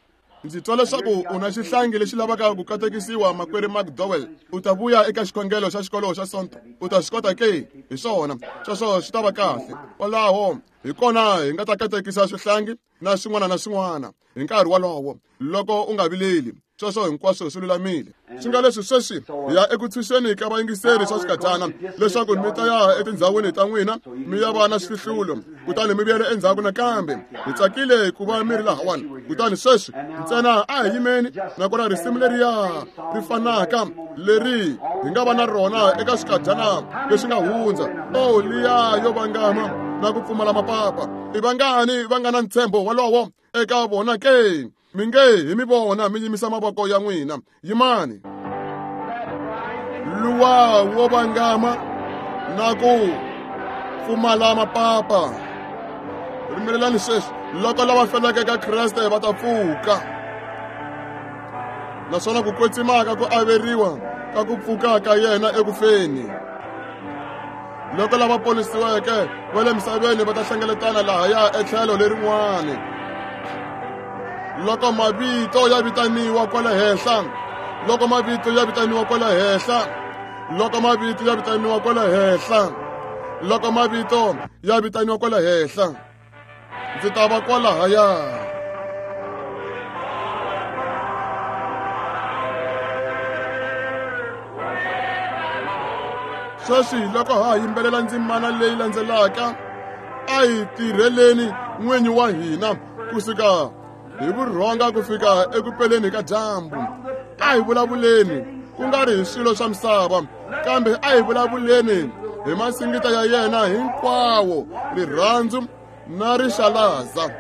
Ndzi twa leswaku u na xihlangi lexi lavaka ku katekisiwa, makwerhu McDowell. U ta vuya eka xikhongelo xa xikolo xa Sonto. U ta swi kota ke? Hi swona, sweswo swi ta va kahle. Kwalaho hi kona hi nga ta katekisa swihlangi na swin'wana na swin'wana hi nkarhi wolowo. Loko u nga vileli, sweswo hinkwaswo swi lulamile. Swi nga leswi sweswi hi ya eku tshunxeni ka vayingiseri swa xikadyana, leswaku mi ta ya etindhawini ta n'wina mi ya va na swihlulo, kutani mi vuyela endzhaku nakambe. Hi tsakile ku va mi ri lahawani. Kutani sweswi ntsena a hi yimeni, nakona risimu leriya ri fanaka leri hi nga va na rona eka xikadyana lexi nga hundza. O liya yo vangama na ku pfumala mapapa. I vangani va nga na ntshembo wolowo eka vona ke? Mi nge hi mi vona mi yimisa mavoko ya n'wina. Yimani. Luwa wo vangama na ku pfumala mapapa. Rimelelani sweswi, loko lava feleke ka Kreste va ta pfuka. Naswona ku kwetsimaka ku averiwa ka ku pfuka ka yena ekufeni. Loko lava ponisiweke va le misaveni va ta hlengeletana lahaya etlhelo lerin'wani. Loko mavito ya vitaniwa kwala henhla, loko mavito ya vitaniwa kwala henhla, loko mavito ya vitaniwa kwala henhla, loko mavito ya vitaniwa kwala henhla, ndzi ta va kwalahaya. Sweswi loko ha yimbelela ndzimana leyi landzelaka, a hi tirheleni n'winyi wa hina kusuka hi vurhonga ku fika eku peleni ka dyambu. A hi vulavuleni ku nga ri hi swilo swa misava, kambe a hi vulavuleni hi masingita ya yena hinkwawo, rirhandzu na rixalaza.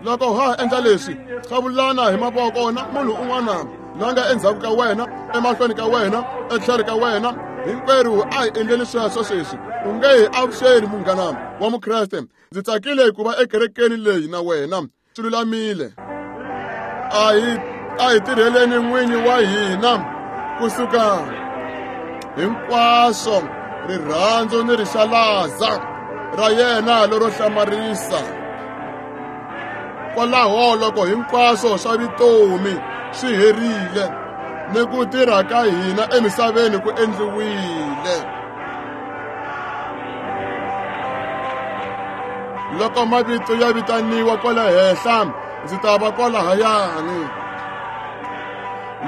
Loko ha endla leswi, qhavulana hi mavoko na munhu un'wana la nga endzhaku ka wena, emahlweni ka wena, etlhelo ka wena. Hinkwerhu a hi endleni sweswo sweswi. U nge hi avuxeni, munghana wa Mukreste. Ndzi tsakile ku va ekerekeni leyi na wena. Swi lulamile. A hi tirheleni n'winyi wa hina kusuka hinkwaswo rirhandzu ni rixalaza ra yena lero hlamarisa. Kwalaho loko hinkwaswo swa vutomi swi herile ni ku tirha ka hina emisaveni ku endliwile. Loko mavito ya vitaniwa kwala henhla, ndzi ta va kwalahayani.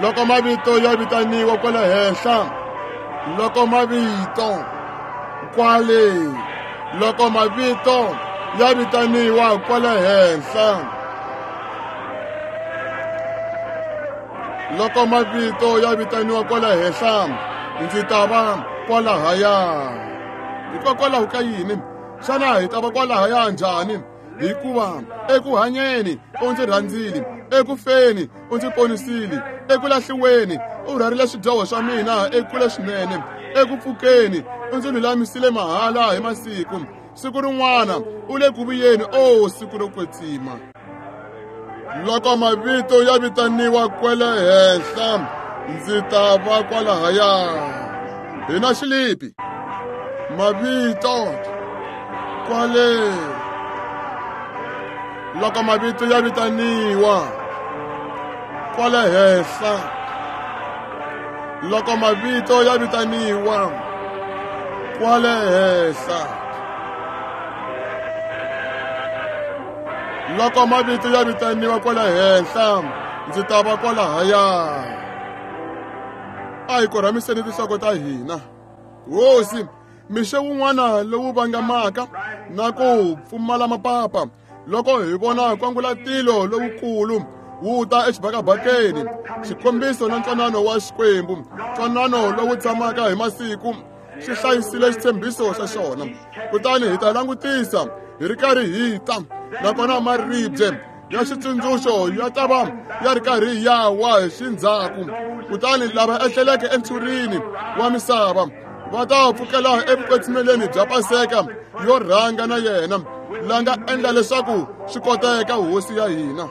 Loko mavito ya vitaniwa kwala henhla, loko mavito kwale, loko mavito ya vitaniwa kwala henhla, loko mavito ya vitaniwa kwala henhla, ndzi ta va kwalahaya. Hikokwalaho ka yini? Xana hi ta va kwalahaya njhani? Hikuva eku hanyeni u ndzi rhandzile, eku feni u ndzi ponisile, eku lahliweni u rhwarile swidyoho swa mina ekule swinene, eku pfukeni u ndzi lulamisile mahala hi masiku. Siku rin'wana u le ku vuyeni, o siku ro kwetsima. Loko mavito ya vitaniwa kwele henhla, ndzi ta va kwalahaya. Hi na xilipi. Mavito kwale. Loko mavito ya vitaniwa kwale henhla, loko mavito ya vitaniwa kwale henhla, loko mavito ya vitaniwa kwale henhla, ndzi ta va kwalahaya. A hi korhamiseni tinhloko ta hina. Hosi, mixo wun'wana lowu vangamaka na ku pfumala mapapa, loko hi vona kwangulatilo lowukulu wu ta exibakabakeni, xikombiso na ntwanano wa Xikwembu, ntwanano lowu tshamaka hi masiku Xi hlayisile xitshembiso xa xona. Kutani hi ta langutisa hi ri karhi hi ta, nakona maribye ya xitsundzuxo ya ta va ya ri karhi ya wa hi xindzhaku. Kutani lava etleleke entshurini wa misava va ta pfukela evukwetsimeleni bya Paseka yo rhanga na yena la nga endla leswaku swi koteka, Hosi ya hina.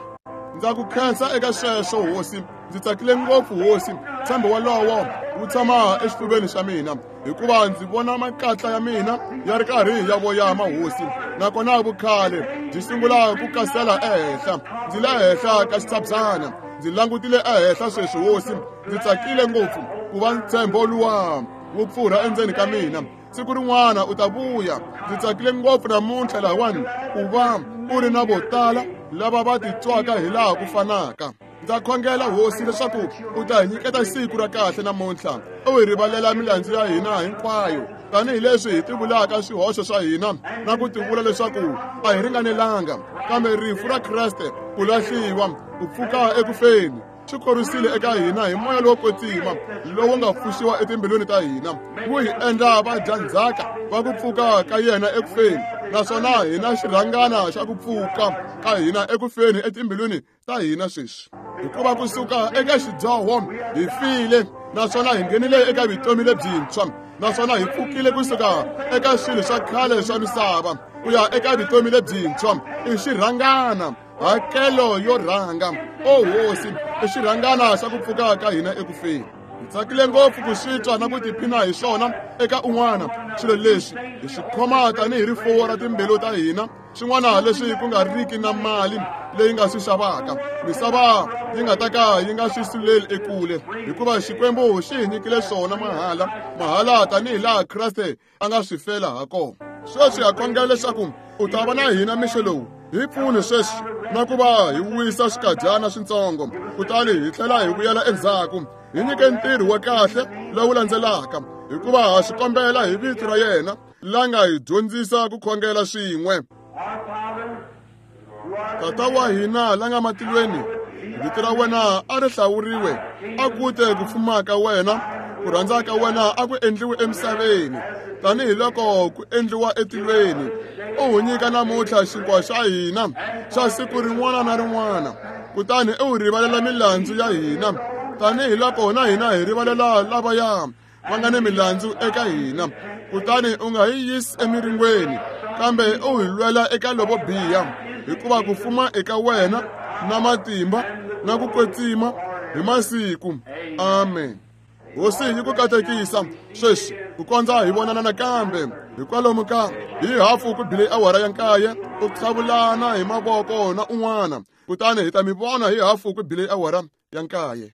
Ndza ku khensa eka sweswo, Hosi. Ndzi tsakile ngopfu, Hosi. Ntshembo wolowo wu tshama exifuveni xa mina, hikuva ndzi vona makatla ya mina ya ri karhi ya voyama, Hosi, nakona vukhale byi sungula ku kasela ehenhla. Ndzi le henhla ka xitshabyana, ndzi langutile ehenhla sweswi, Hosi. Ndzi tsakile ngopfu ku va ntshembo luwa wu pfurha endzeni ka mina. Siku rin'wana u ta vuya. Ndzi tsakile ngopfu namuntlha lahawani ku va u ri na vo tala lava va titwaka hi laha ku fanaka. Ndza khongela, Hosi, leswaku u ta hi nyiketa siku ra kahle namuntlha, u hi rivalela milandzu ya hina hinkwayo, tanihileswi hi tivulaka swihoxo swa hina na ku tivula leswaku a hi ringanelanga, kambe rifu ra Kreste, ku lahliwa, ku pfuka eku feni, swi khorwisile eka hina hi moya lowo kwetsima lowu nga pfuxiwa etimbilwini ta hina, wu hi endla vadyandzhaka va ku pfuka ka yena eku feni, naswona hina xirhangana xa ku pfuka ka hina eku feni etimbilwini ta hina sweswi. Hikuva kusuka eka xidyoho hi file, naswona hi nghenile eka vutomi lebyintshwa, naswona hi pfukile kusuka eka swilo swa khale swa misava ku ya eka vutomi lebyintshwa. I xirhangana, hakelo yo rhanga, o Hosi, i xirhangana xa ku pfuka ka hina eku feni. Hi tsakile ngopfu ku swi twa na ku tiphina hi swona eka un'wana. Swilo leswi hi swi khoma tanihi rifuwo ra timbilu ta hina, swin'wana leswi ku nga riki na mali leyi nga swi xavaka, misava yi nga ta ka yi nga swi suleli ekule, hikuva Xikwembu xi hi nyikile swona mahala, mahala tanihi laha Kreste a nga swi fela ha kona. Sweswi ha khongela leswaku u ta va na hina mixo lowu. Hi pfuni sweswi na ku va hi wisa swikadyana swintsongo, kutani hi tlhela hi vuyela endzhaku. Hi nyike ntirho wa kahle lowu landzelaka, hikuva ha swi kombela hi vito ra yena la nga hi dyondzisa ku khongela swin'we. Tata wa hina la nga matilweni, vito ra wena a ri hlawuriwe, a ku te ku fuma ka wena, ku rhandza ka wena a ku endliwe emisaveni tanihiloko ku endliwa etilweni. U hi nyika namuntlha xinkwa xa hina xa siku rin'wana na rin'wana, kutani u hi rivalela milandzu ya hina tanihiloko na hina hi rivalela lavaya va nga ni milandzu eka hina. Kutani u nga hi yisi emiringweni, kambe u hi lwela eka lovo biha, hikuva ku fuma eka wena na matimba na ku kwetsima hi masiku. Amen. Hosi yi ku katekisa sweswi ku kondza hi vonana nakambe hikwalomu ka hi hafu ku bile awara ya 9, u qhavulana hi mavoko na un'wana, kutani hi ta mi vona hi hafu ku bile awara ya 9.